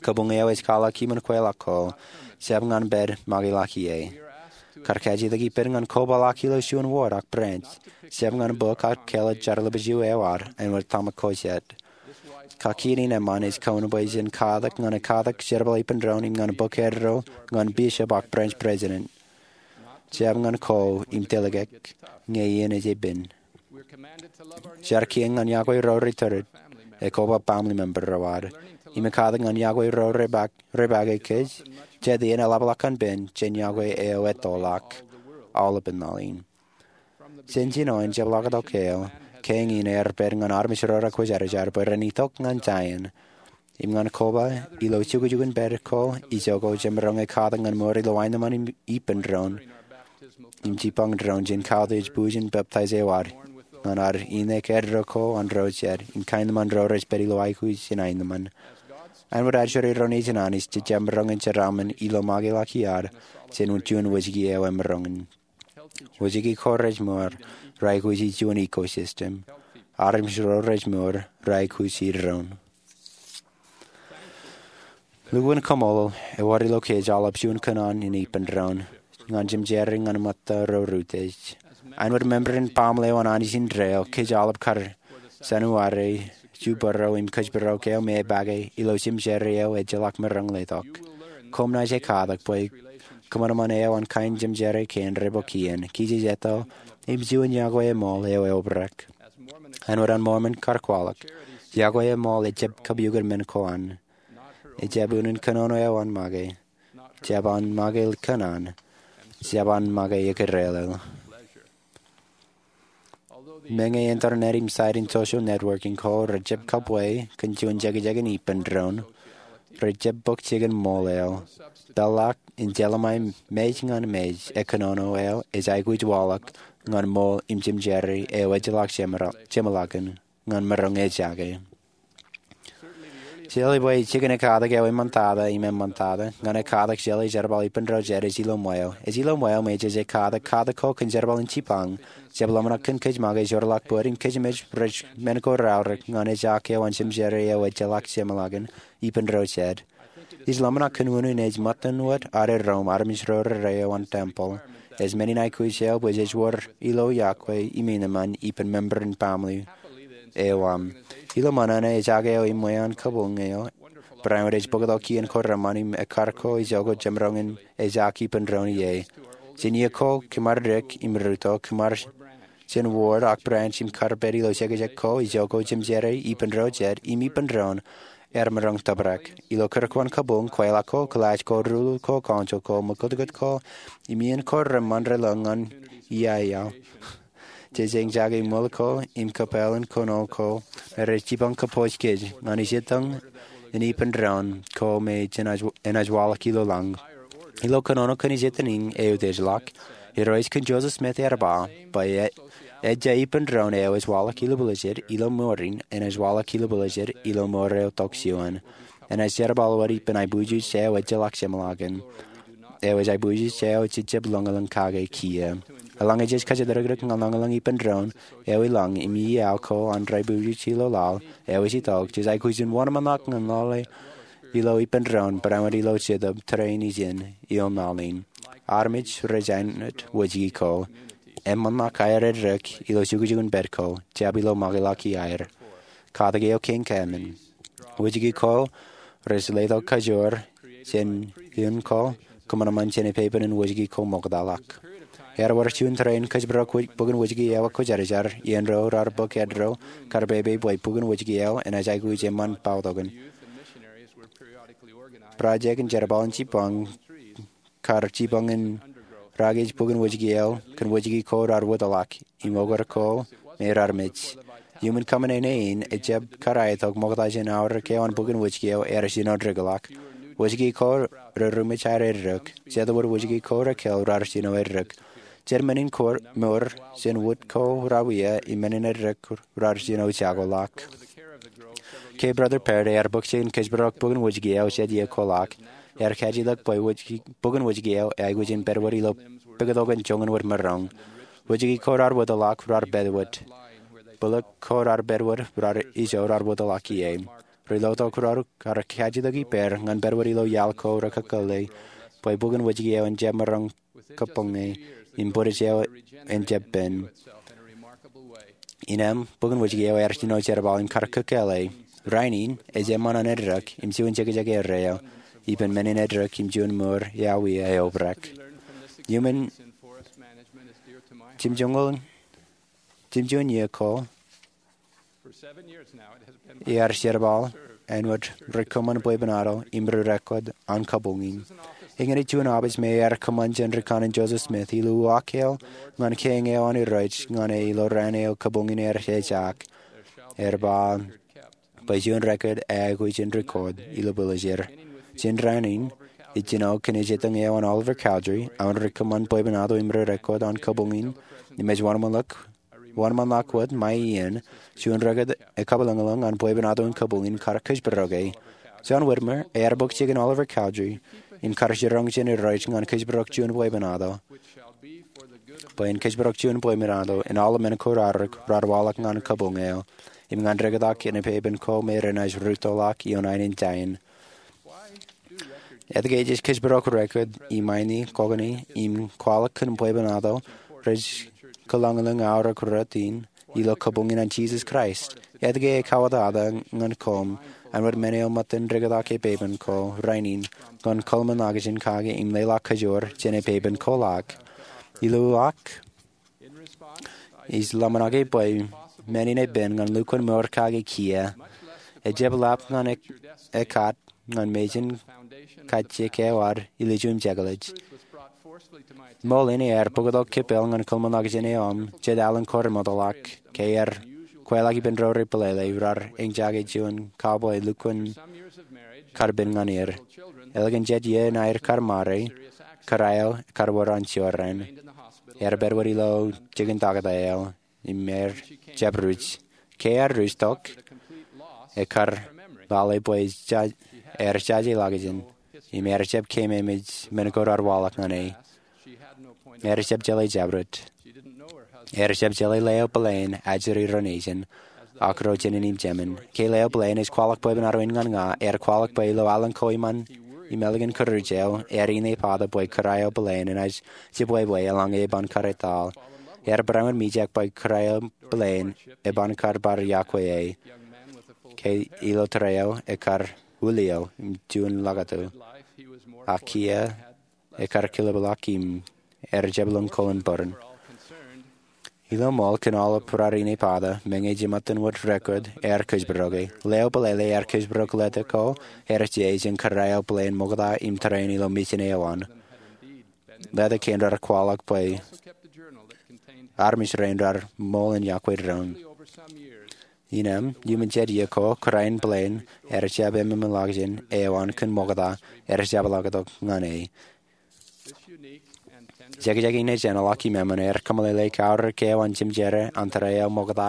Kabuñ eo ej kwaḷọk kōṃṃan kweilọk ko, jab ñan pād make ḷọk ie. Kar kajjitōk ippād ñan kobaḷọk ilo juon wōt ak branch, jab ñan bōk ak kāālōt jar lōbij eo ad āinwōt tōmak ko jet. Kakiin in eṃṃan ej kōn bwe jen katak ñan katak jerbal ippān doon im ñan bōk eddo ñan bishop ak branch president. Jab ñan ko im tōlkōk ñe iien ej pen. Jar kien ñan iọkwe ro rej tōre, ekoba family member ro ad, im katak ñan iọkwe ro rej pake kōj, jet iien eḷapḷọk an pen jān iọkwe eo ettoḷọk aolepān laḷ in. Jān jino in jepḷaaktok eo, kein ear pād ñan armej ro raar kwōjarjar bwe ren itok ñan Zion. Im ñan koba, ilo jukjukun pād ko ijoko jemaroñ ekatak ñan mour ilo aenōṃṃan im ippān doon im jipañ doon jān kautiej bwijin peptaij eo ad ñan ad innem eddo ko an ro jet im kaenōṃṃan ro rej pād ilo aikuj in aenōṃṃan. Āinwōt ajri ro nejin Anij, jej jab maroñ in jeraaṃṃan ilo make ḷọk iaad jān juon wōjke eo emaroñ in. Wōjke ko rej mour, raikuji juon ecosystem. Armej ro rej mour, raikuji doon. Lukkuun kaṃṃoolol ewōr ilo kōj aolep juon kōṇaan in ippān doon ñan jemjeer ñan ṃōtta ro rūtej. Āinwōt member in baaṃle eo an Anij in Trail, kōj aolep kar January, jubōro im kōjparok eo me epake ilo jemjeer eo ejjeḷọk maroñ letok. Koṃ naaj katak bwe kōṃanṃan eo an kain jemjeer kein rej bōk iien, kijejeto, im juon iọkwe eṃool eo eobrak. Āinwōt an Mormon kar kwaḷọk, iọkwe eṃool ejjab kapiukun men ko an. Ejjab unin kōnono eo an make. Jab an make kōṇaan. Jab an make ekdellel. Meñe internet im site in social networking ko rejjab kabwe kōn juon jekjek in ippān doon, rejjab bōk jikin ṃool eo. Peḷḷọk in jeḷā ṃae mej ñan mej, kōnono eo ej aikuj waḷọk ñan ṃool im jemjeer eo ejjeḷọk jeṃḷọkin ñan maroñ ejake. Jeḷā bwe jikin ekatak eo eṃṃantata im eṃṃantata ñan ekatak jeḷā jerbal ippān ro jet ej ilo ṃweo. Ej ilo ṃweo me jej katak katak ko kōn jerbal in jipañ. Jab ḷōmṇak kōn kōj make joorḷọk bōd im kōj im ej rej men ko raorōk ñan ejak eo an jemjeer eo ejjeḷọk jeṃḷọkin ippān ro jet. Ij ḷōmṇak kōn unin ej ṃōttan wōt ad eddoṃ armej ro rere eo an tempel. Ej men in aikuj eo bwe jej wōr ilo iọkwe im eṃṃan ippān member in baaṃle eo aṃ. Ilo ṃōṇōṇō ejak eo im ṃweeṇ kabuñ eo, barāinwōt ej bōktok iien ko reṃṃan im ekkar ko ijoko jemaroñ in ejak ippān doon ie. Jān iiō ko kōm ar dik im ruto, kōm ar jān ward ak branch im kar pād ilo jekjek ko ijoko jemjeer ippān ro jet im ippān doon ear maroñ tōprak. Ilo kūrkuwaan kabuñ, kweilọk ko, kilaaj ko, rūruul ko, council ko, ṃōkutkut ko, im iien ko reṃṃan relōñ ñan iiō eo, jej eñjake ṃwil ko im kōpeḷḷọk kōnono ko me rej jipañ kōpooj kōj ñan ijettōñ in ippān doon ko me enaaj waḷọk ilo lañ. Ilo kōnono kōn ijettōñ in eutiejḷọk, Irooj kōn Joseph Smith ear ba bwe ejja ippān doon eo ej waḷọk ilo buljed ilo mour in enaaj waḷọk ilo buljed ilo mour eo itok juon. Enaaj jerbal wōt ippān aibwiuj eo ejjeḷọk jeṃḷọkin. Eo ej aibwiuj eo jej jab lōñlōñ kake kiiō. Eḷaññe jej kōjatdikdik ñan lōñlōñ ippān doon eo ilañ im iiō ko an aibwiuj ilo laḷ eo ej itok, jej aikuj in wōnṃaanḷọk ñan lale ilo ippān doon barāinwōt ilo jetōb tōre in ijin ilo laḷ in. Armej rej āinwōt wōjke ko. Eṃṃanḷọk aer eddek ilo jukjukun pād ko, jab ilo make ḷọk iaer. Katak eo kein kaemān. Wōjke ko rej letok kajoor jān iien ko kōṃanṃan jān epepen in wōjke ko ṃoktaḷọk. Ear wōr juon tōre in kōjparok bok in Wōjke eo ak kwōjarjar iien ro raar bōk eddo karpepe bwe bok in Wōjke eo enaaj aikuj eṃṃan bautokan. Project in jerbal in jipañ kar jipañ in raar kōj bok in Wōjke eo kōn wōjke ko raar wōtlọk im okar ko me raar mej. Iuṃwin kōṃṃane in ejjab kar aetok ṃokta jān aorōk eo an bok in Wōjke eo ear jino dikḷọk. Wōjke ko reruṃwij aer eddek. Jet wōt wōjke ko rekōl raar jino eddek. Jet men in mour jān wōt ko raar wia im men in eddek raar jino jakoḷọk. K. Brother Perry ear bōk jikin kōjparok bok in Wōjke eo jet iiō ko ḷọk. Ear kajetōk bwe bok in Wōjke eo eaikuj in pād wōt ilo pād tok in joñan wōt maroñ. Wōjke ko raar wōtlọk raar pād wōt. Bōlōk ko raar pād wōt raar ijo raar wōtlọk ie. Ri lotok ro raar kajetōk ippāer ñan pād wōt ilo iaḷ ko rekōkkōle bwe bok in Wōjke eo en jab maroñ kōbōñe im bwidej eo en jab pen. Innām bok in Wōjke eo ear jino jerbal im kar kōkkōle. Rainin ej eṃṃan an eddek im juon jekjek erreo ippān men in eddek im juon mour eawiia eobrak. Iuṃwin jimjuon iiō ko Ear jerbal āinwōt ri kōṃṃan bwebwenato im ri record an kabuñ in. Eñin ej juon office me ear kōṃṃan jān ri kanaan Joseph Smith. Ilo uwaak eo ñan kein eo an Irooj ñan e ilo raan eo kabuñ in ear ejaak, ear ba bwe juon record eo aikuj in record ilo pūlōjāer. Jān raan in, ij jino kōn ejitōñ eo an Oliver Cowdery, aō ri kōṃṃan bwebwenato im ri record an kabuñ in, im ej wōnṃaanḷọk wōnṃaanḷọk wōt ṃae iien, juon record ekabwilōñlōñ an bwebwenato in kabuñ in kar kōjparok e. John Whitmer ear bōk jikin Oliver Cowdery in kar jiroñ jān Irooj ñan kōjparok juon bwebwenato, bwe en kōjparok juon bwebwenato in aolep men ko raorōk raar waḷọk ñan kabuñ eo, im ñan rekōtḷọk inepāpin ko me renaaj rūttoḷọk ioon aenōṃṃan. Etke ej kōjparok record iṃaini kokōni im kwaḷọk kōn bwebwenato rej kōḷañḷọñ aorōk rot in ilo kabuñ in an Jisōs Kraist? Etke ekawōtata ñan koṃ āinwōt men eo ṃōttan rekōtḷọk epāpin ko rainin ñan kōḷmānḷọkjeṇ kake im leḷọk kajoor jān epāpin koḷak? Ilo uwaak, ij ḷōmṇak bwe men in epen ñan lukkuun mour kake kiiō, ejjab lap ñan e- ekkat ñan mejān kajjik eo ad ilo juon jekḷaj. Ṃool in ear bōktok kippeḷ ñan kōḷmānḷọkjeṇ eo aṃ jet alen ko remootḷọk, ke ear kweilọk ippān ro rej peḷeḷe raar eñjake juon cowboy lukkuun karpen ñan er. Ālikin jet iien aer kar ṃare, kōrā eo ekar wōr an jorrāān. Ear pād wōt ilo jikin taktō eo im ear jab ruj. Ke ear ruj tok, ekar lale bwe ear jajeḷọkjeṇ im ear jab keememej men ko raar waḷọk ñan e. Ear jab jeḷā jabdewōt. Ear jab jeḷā leo plane ajri ro nejin, ak ro jinen im jemān. Ke leo plane ej kwaḷọk bwebwenato in ñan ña, ear kwaḷọk bwe ilo alen ko iṃaan im ālikin kūruj eo, ear inepata bwe kōrā eo plane enaaj jibwebwe eḷaññe eban kar etal. Ear barāinwōt mijak bwe kōrā eo plane eban kar bar iọkwe e, ke ilo tōre eo ekar wūlio im juon ḷōkatu. Ak kiiō ekar kilōkḷọk im ear jab lōñ ko in bōran. Ilo ṃool kōn aolep raar inepata, meñe jemātinwōt record ear kōjparok e. Leo peḷeḷe ear kōjparok leta ko ear je jān kōrā eo plane ṃokta im tōre in ilo mejān eo an. Leta kein raar kwaḷọk bwe armej rein raar ṃool in iọkwe doon. Innām, iuṃwin jet iiō ko, kōrā in plane ear jab ememej ḷọkjeṇ eo an kōn ṃokta ear jab ḷōktok ñan e. Jekjek in ej enaḷọk im eṃṃan ear kōmeḷeḷe kaorōk eo an jemjerā an tōre eo ṃokta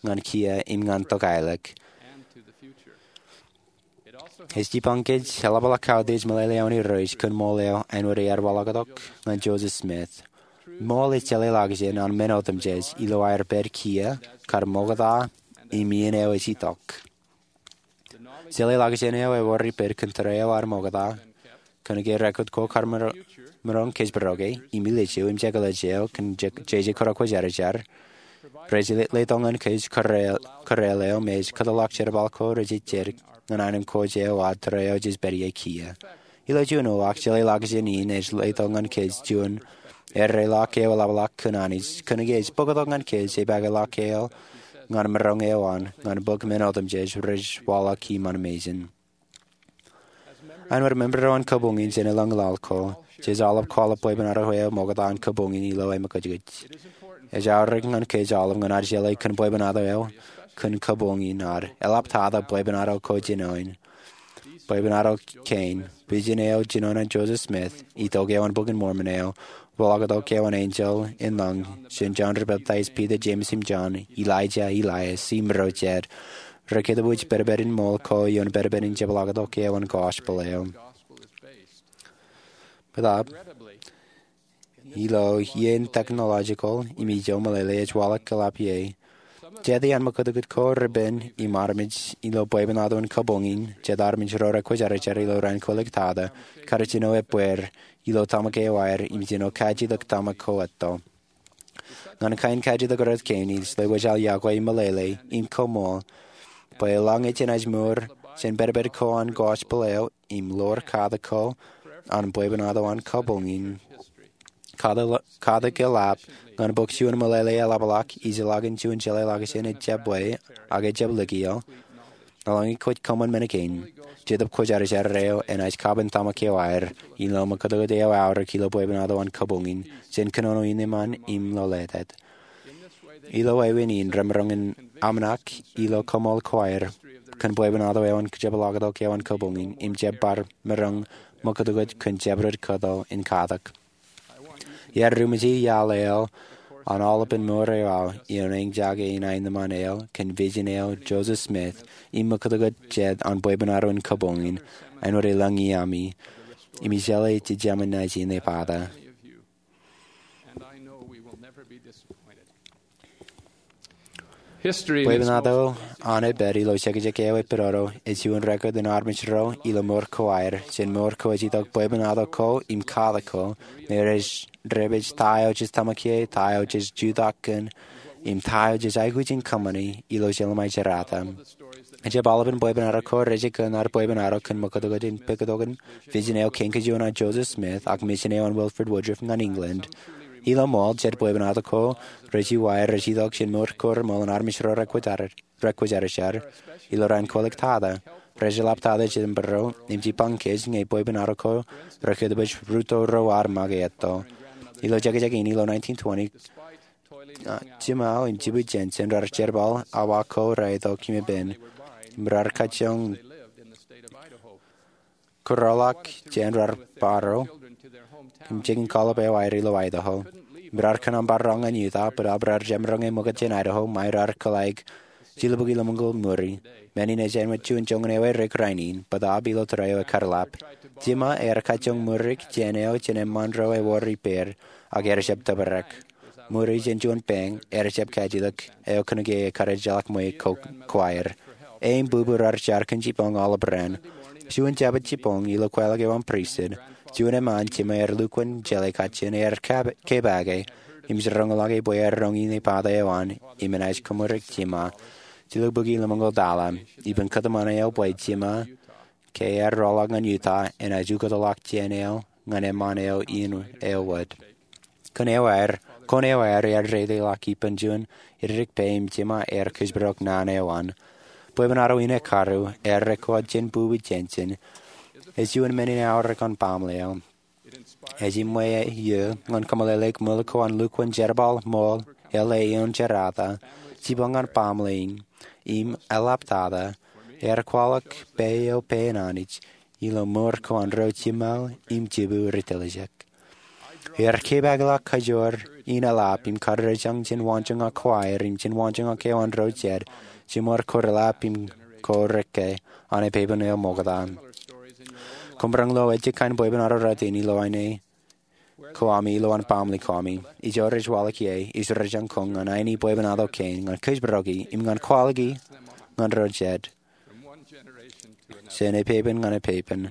ñan kiiō im ñan tokālik. Ej jipañ kōj eḷapḷọk kautiej meḷeḷe eo an Irooj kōn ṃool eo āinwōt ear waḷọktok ñan Joseph Smith. Ṃool ej jeḷāḷọkjeṇ an men otemjej ilo aer pād kiiō kar ṃokta im iien eo ej itok. Jeḷāḷọkjeṇ eo ewōr ippād kōn tōre eo ad ṃokta, kōnke record ko kar maroñ kōjparok e, im ilju im jekḷaj eo kōn jeje kōrā kwōjarjar, rej letok ñan kōj kōrā eo me ej kōtḷọk jerbal ko rej jejjet ñan aenōṃṃan ko eo ad tōre eo jej pād ie kiiō. Ilo juon uwaak, jeḷāḷọkjeṇ in ej letok ñan kōj juon erreḷọk eḷapḷọk kōn Anij, kōnke ej bōktok ñan kōj epakeḷọk eo ñan maroñ eo an ñan bōk men otemjej rej waḷọk iṃaan mejān. Āinwōt member eo an kabuñ in jān eḷaññe laḷ ko, jej aolep kwaḷọk bwebwenato eo ṃokta an kabuñ in ilo emkwōjkwōj. Ej aorōk ñan kōj aolep ñan ad jeḷā kōn bwebwenato eo kōn kabuñ in ad, eḷaptata bwebwenato ko jinoin. Bwebwenato kein, vision eo jinoin an Joseph Smith, itok eo an Bok in Mormon eo, waḷọktok eo an enjeḷ in lañ jān Jon Ri-peptaij, Piter, Jemes im Jon, Elaija, Elias, im ro jet, rej kōtwōj pedped in ṃool ko ioon pedped in jepḷaaktok eo an gospel eo. Bōtaab, ilo iien technological im ijo meḷeḷe ej waḷọk eḷap ie, jet iaan ṃōkūtkūt ko repen im armej ilo bwebwenato in kabuñ in, jet armej ro rekwōjarjar ilo raan kwōliktata, kar jino ebbeer ilo tōmak eo aer im jino kajjitōk tōmak ko etto. Ñan kain kajjitōk rot kein, ij lewōj aō iọkwe im meḷeḷe im koṃṃool bwe eḷaññe jenaaj mour jān pedped ko an gospel eo im ḷoor katak ko an bwebwenato an kabuñ in, Katak eḷap ñan bōk juon meḷeḷe eḷapḷọk, ijellọkin juon jeḷā ḷọkjeṇ ejjab ḷe, ak ejjab likio. Eḷaññe kwōj kōṃṃan men kein, Jetōb Kwōjarjar eo enaaj kapen tōmak eo aer ilo ṃōkōtōkōt eo aorōk ilo bwebwenato an kabuñ in, jān kōnono in eṃṃan im lolōtet. Ilo wāween in remaroñ in aṃnak ilo koṃṃool ko aer kōn bwebwenato eo an jepḷaaktok eo an kabuñ in im jab bar maroñ ṃōkōtōkōt kōn jabdewōt kato in katak. Iar ruṃwij iaḷ eo an aolepān mour eo aō ioon eñjake in aenōṃṃan eo kōn vision eo Joseph Smith im ṃōkōtōkōt jet an bwebwenato in kabuñ in āinwōt elōñ iaami im ij jeḷā jej jemān naaj inepata. Bwebwenato an epād ilo jekjek eo epād eo ej juon record in armej ro ilo mour ko aer jān mour ko ej itok bwebwenato ko im katak ko me rej rej ta eo jej tōmak ie, ta eo jej jutak kōn, im ta eo jej aikuj in kōṃṃani ilo jelṃae jerata. Ejjab aolepān bwebwenato ko rej kōn ad bwebwenato kōn ṃōkōtōkōt in pād tok in vision eo kein kajuon an Joseph Smith ak mission eo an Wilford Woodruff ñan England. Ilo ṃool, jet bwebwenato ko rej uwaer rej itok jān mour ko reṃool an armej ro rekwōjarjar ilo raan kwōlōk tata. Rej eḷaptata jān būruo im jipañ kōj ñe bwebwenato ko rekōtpōj rūtto ro ad make etto. Ilo jekjek in ilo nineteen twenty, Jimao im Jibū Jensen rar jerbal awa ko raetok im epen im rar kajjoñ kōrọọlḷọk jān rar bōro im jikin kallib eo aer ilo Idaho. Im rar kōṇaan bar roñ ñan Utah bōtab rar jemaroñ ṃōkaj jān Idaho ṃae rar kōḷḷāik jilubukwi lemñoul ṃuri. Men in ej āinwōt juon joñan eo erik rainin bōtab ilo tōre eo ekar lap. Jima ear kajjoñ ṃurik jān eo jān eṃṃaan ro ewōr ippāer ak ear jab tōprak. Ṃuri jān juon bank ear jab kajjitōk eo kōnke ekar ejjeḷọk ṃweiuk ko aer. E im bubu rar jar kōn jipañ aolep raan. Juon Jabōt jipañ ilo kwaḷọk eo an pristut, juon eṃṃaan Jima ear lukkuun jeḷā kajjien ear kepaake im jiroñḷọke bwe ear roñ inepata eo an im enaaj kōṃurik Jima jilubukwi lemñoul tala. Ippān kōtmāne eo bwe Jima ke ear rọọlḷọk ñan Utah enaaj ukōtḷọk jān eo ñan eṃṃaan eo in eo wōt. Kōn eo aer, kōn eo aer ear dedeḷọk ippān juon edik pā im Jima ear kōjparok naan eo an. Bwebwenato in ekkaru ear rekood jān bubu Jensen ej juon men in aorōk an baaṃle eo. Ej iṃwe eō ñan kōmeḷeḷeik ṃwil ko an lukkuun jerbal ṃool eḷḷā ioon jerata, jipañ ñan baaṃle in im eḷaptata ear kwaḷọk pā eo pā in Anij ilo mour ko an ro Jima im Jibū ri tiljek. Ear kepaakḷọk kajoor in eḷap im karijerañ jān waanjoñak ko aer im jān waanjoñak eo an ro jet, jimor ko reḷap im ko rekke an epepen eo ṃokta. Koṃ roñ lo ejjab kain bwebwenato rot in ilo aine ko ami ilo an baaṃle ko ami. Ijo rej waḷọk ie, ij rejjañkoñ ñan aini bwebwenato kein ñan kōjparoki im ñan kwaḷọki ñan ro jet jān epepen ñan epepen.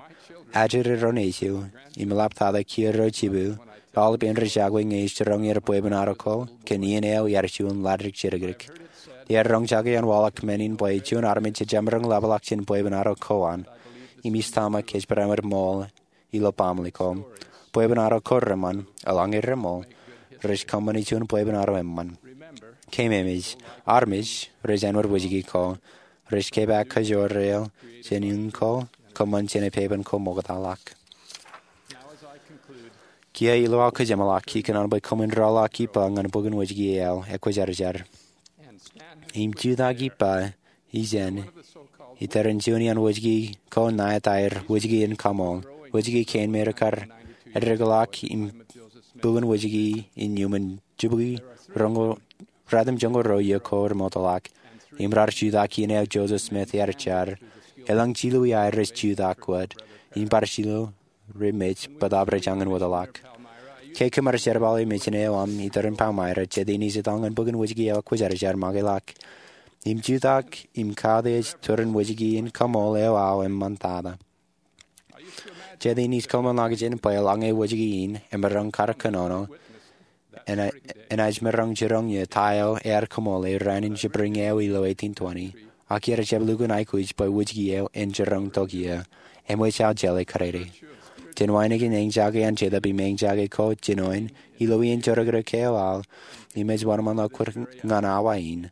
Ajri ro nejū im eḷaptata kiiō ro Jibū, aolepān rej jake ñe ij jiroñ er bwebwenato ko kōn iien eo iar juon ḷaddik jidikdik. Iar roñjake an waḷọk men in bwe juon armej ejjab maroñ ḷapḷọk jān bwebwenato ko an im ij tōmak ej barāinwōt ṃool ilo baaṃle ko. Bwebwenato ko reṃṃan, eḷaññe reṃool, rej kōṃṃani juon bwebwenato eṃṃan. Keememej, armej rej āinwōt wōjke ko, rej kepaak kajoor eo jān iien ko kōṃṃan jān epepen ko ṃoktaḷọk. Kiiō ilo aō kōjeṃḷọk, ikōṇaan bwe koṃwin rọọlḷọk ippa ñan bok in Wōjke eo ekwōjarjar im jutak ippa ijeṇ itōrin juon iaan wōjke ko ṇae etaer Wōjke in Kaṃool. Wōjke kein me rekar edikḷọk im bok in wōjke in iuṃwin jibukwi ratimjuonñoul ruo iiō ko remootḷọk. Im rar jutak iien eo Joseph Smith ear jar. Elōñ jilu iaer rej jutak wōt im bar jilu rej mej bōtaab rej jañin wōtḷọk. Ke kōm ar jerbal e mejān eo aṃ itōrin Palmyra, jet in ij etal ñan bok in wōjke eo ekwōjarjar, makeḷọk im jutak im kautiej turin Wōjke in Kaṃool eo aō eṃṃantata. Jet in ij kōṃṃan ḷọkjeṇ bwe eḷaññe wōjke in emaroñ kar kōnono, enaaj maroñ jiroñ ie ta eo ear kaṃoole raan in jibwiin eo ilo eighteen twenty, ak iar jab lukkuun aikuj bwe wōjke eo en jiroñ tok iiō. Eṃōj aō jeḷā kōrā. Jen wānōk in eñjake an Jetōb im eñjake ko jinoin ilo iien jorrōkrōk eo aō im ej wōnṃaanḷọk kwōj ñan awa in.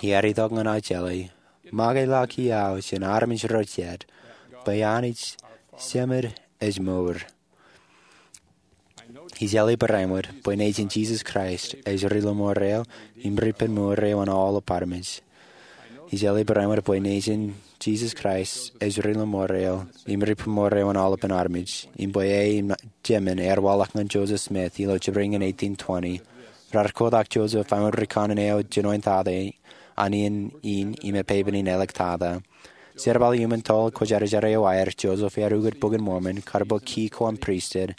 Iar itok ñan aō jelōt, make ḷọk iaḷ jān armej ro jet bwe Anij Jemād ej mour. Ij āliktata bwe nejin Jisōs Kraist ej ri-lọmọọr eo im ri-penmour eo an aolep armej. Ij āliktata bwe nejin Jisōs Kraist ej ri-lọmọọr eo im ri-penmour eo an aolepān armej im bwe e im jemān ear waḷọk ñan Joseph Smith ilo Jibrin in eighteen twenty. Raar kotak Joseph āinwōt ri-kanaan eo jinoin tata an iien in im epepen in āliktata. Jerbal iuṃwin toḷ Kwōjarjar eo aer, Joseph ear ukōt Bok in Mormon kar bok kiiō ko an pristut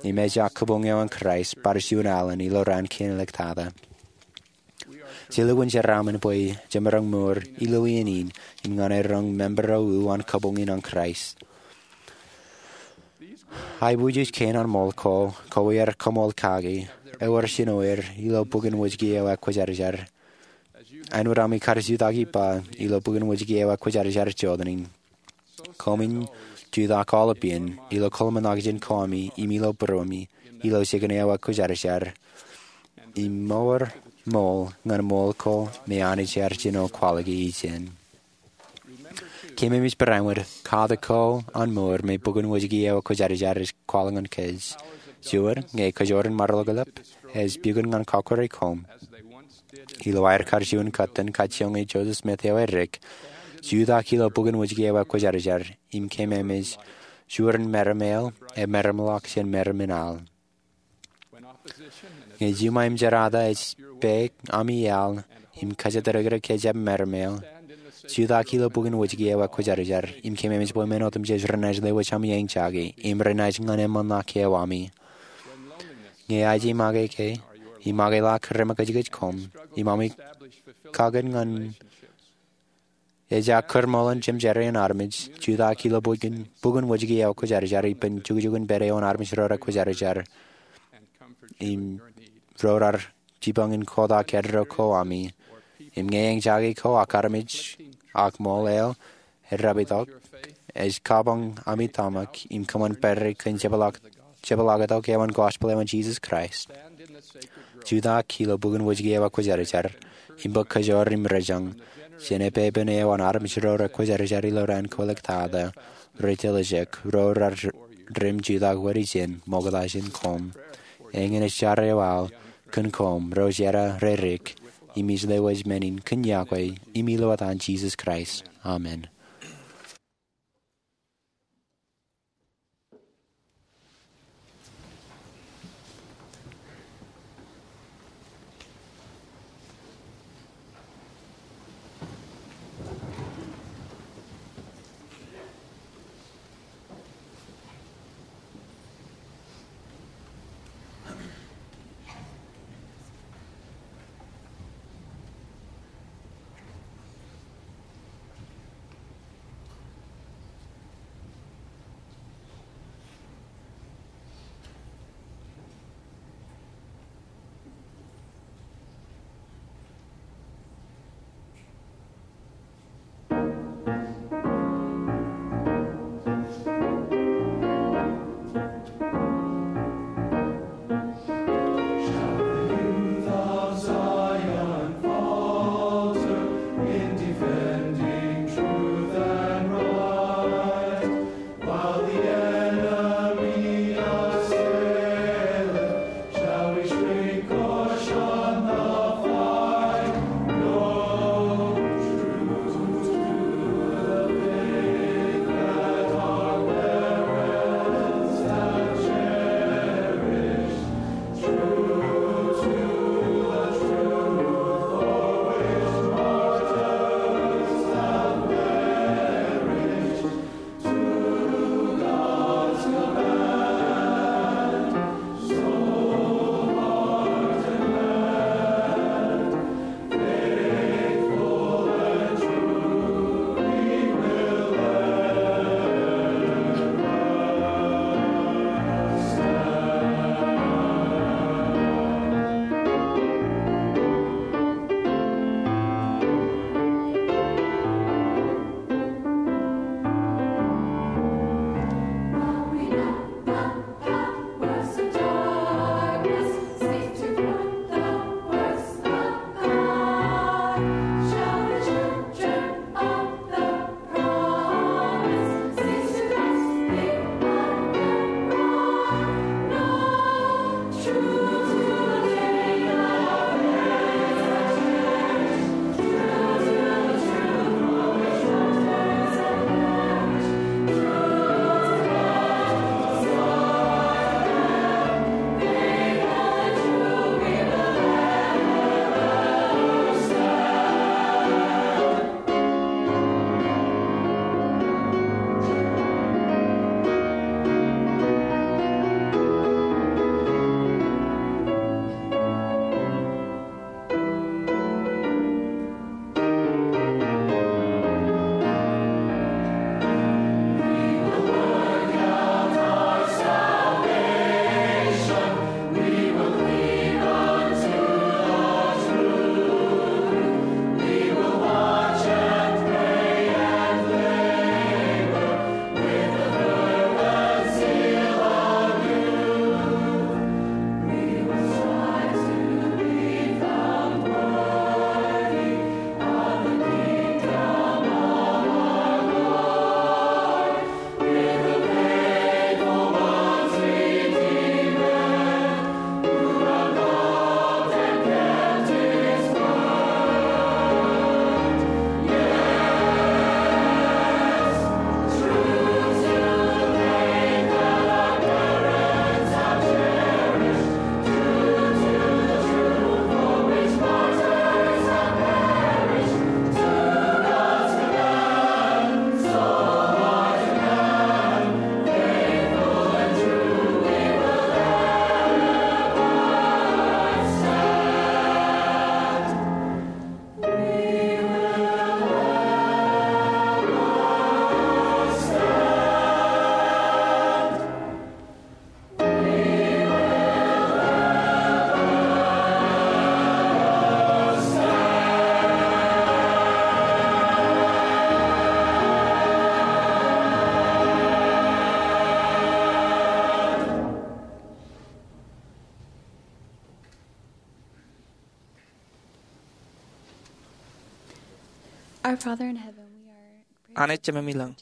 im ejja kabuñ eo an Kraist bar juon alen ilo raan kein āliktata. Ij lukkuun jeraaṃṃan bwe jemaroñ mour ilo iien in im ñan eroñ member eo ū an kabuñ in an Kraist. Aibujej kein an ṃool ko, kowier kaṃool kaki, ewōr jinoin er ilo bok in wōjke eo aō kwōjarjar. Āinwōt ami kar jutak ippa ilo bok in wōjke eo aō kwōjarjar jota in, koṃwin jutak aolepān ilo kōḷmānḷọkjeṇ ko ami im ilo būruemi ilo jikin eo aō kwōjarjar im ṃour ṃool ñan ṃool ko me Anij ear jino kwaḷọk ijin. Kōmij bar āinwōt katak ko an mour me bok in wōjke eo aō kwōjarjar ej kwaḷọk ñan kōj. Juon, ñe kōj wōr in maroḷọk eḷap, ej pukot ñan kọkkure koṃ. Ilo aer kar juon kōttan kajjioñ e Joseph Smith eo edik, jutak ilo bok in wōjke eo aō kwōjarjar im kōmij juon meram eo emaramḷọk jān meram in al. Ñe juṃae im jerata ej pāik ami iaḷ im kōjatdikdik ke ejjab meram eo, jutak ilo bok in wōjke eo aō kwōjarjar im kōmij bwe men otemjej renaaj lewōj ami eñjake im renaaj ñan eṃṃanḷọk eo ami. Ñe aje make ke im make ḷọk remakijkij koṃ im ami kakōn ñan ejja kūrṃooḷ in jemjerā in armej, jutak ilo bok in wōjke eo aō kwōjarjar ippān jukjukin pād eo an armej ro raar kwōjarjar im ro raar jipañ in kotak eddo ko ami. Im ñe eñjake ko ak armej ak ṃool eo eddāptok, ej kabuñ ami tōmak im kōṃṃan pād kōn jepḷaaktok eo an gospel eo an Jisōs Kraist. Jutak ilo bok in wōjke eo aō kwōjarjar im bōk kōjwōj im rejañ jān epepen eo an armej ro raar kwōjarjar ilo raan ko āliktata, ri-tōl ijek ro raar rim jutak wōt ijin ṃokta jān koṃ. Eñin ej jar eo aō kōn koṃ ro jera redik im ij lewōj men in kōn iọkwe im ilo etan Jisōs Kraist, amen. Anij Jemem ilañ,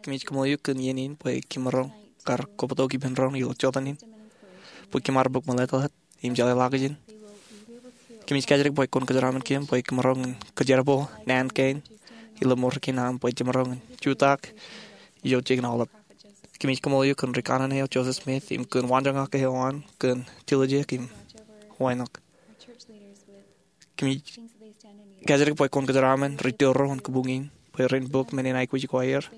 kōmij kaṃool eok kōn iien in bwe kōm maroñ kar kobatok ippān doon ilo jota in bwe kōm ar bōk mālōtlōt im jeḷā ḷọk ijin. Kōmij kajjitōk bwe kwōn kōjeraaṃṃan kōm bwe kōm maroñ in kōjerbal naan kein ilo mour kein aṃ bwe jemaroñ in jutak ilo jikin aolep. Kōmij kaṃool eok kōn ri kanaan eo Joseph Smith im kōn waanjoñak eo an kōn tiljek im wānōk. Kōmij kajjitōk bwe kwōn kōjeraaṃṃan ri tōro in kabuñ in bwe ren bōk men in aikuj ko aer.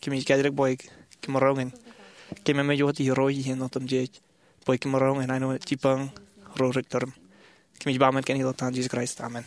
Kōmij kajjitōk bwe kōm maroñ in kememej wōt irooj iien otemjej bwe kōm maroñ in āinwōt jibboñ ro rej tōrōṃ. Kōmij ba men kein ilo etan Jisōs Kraist, amen.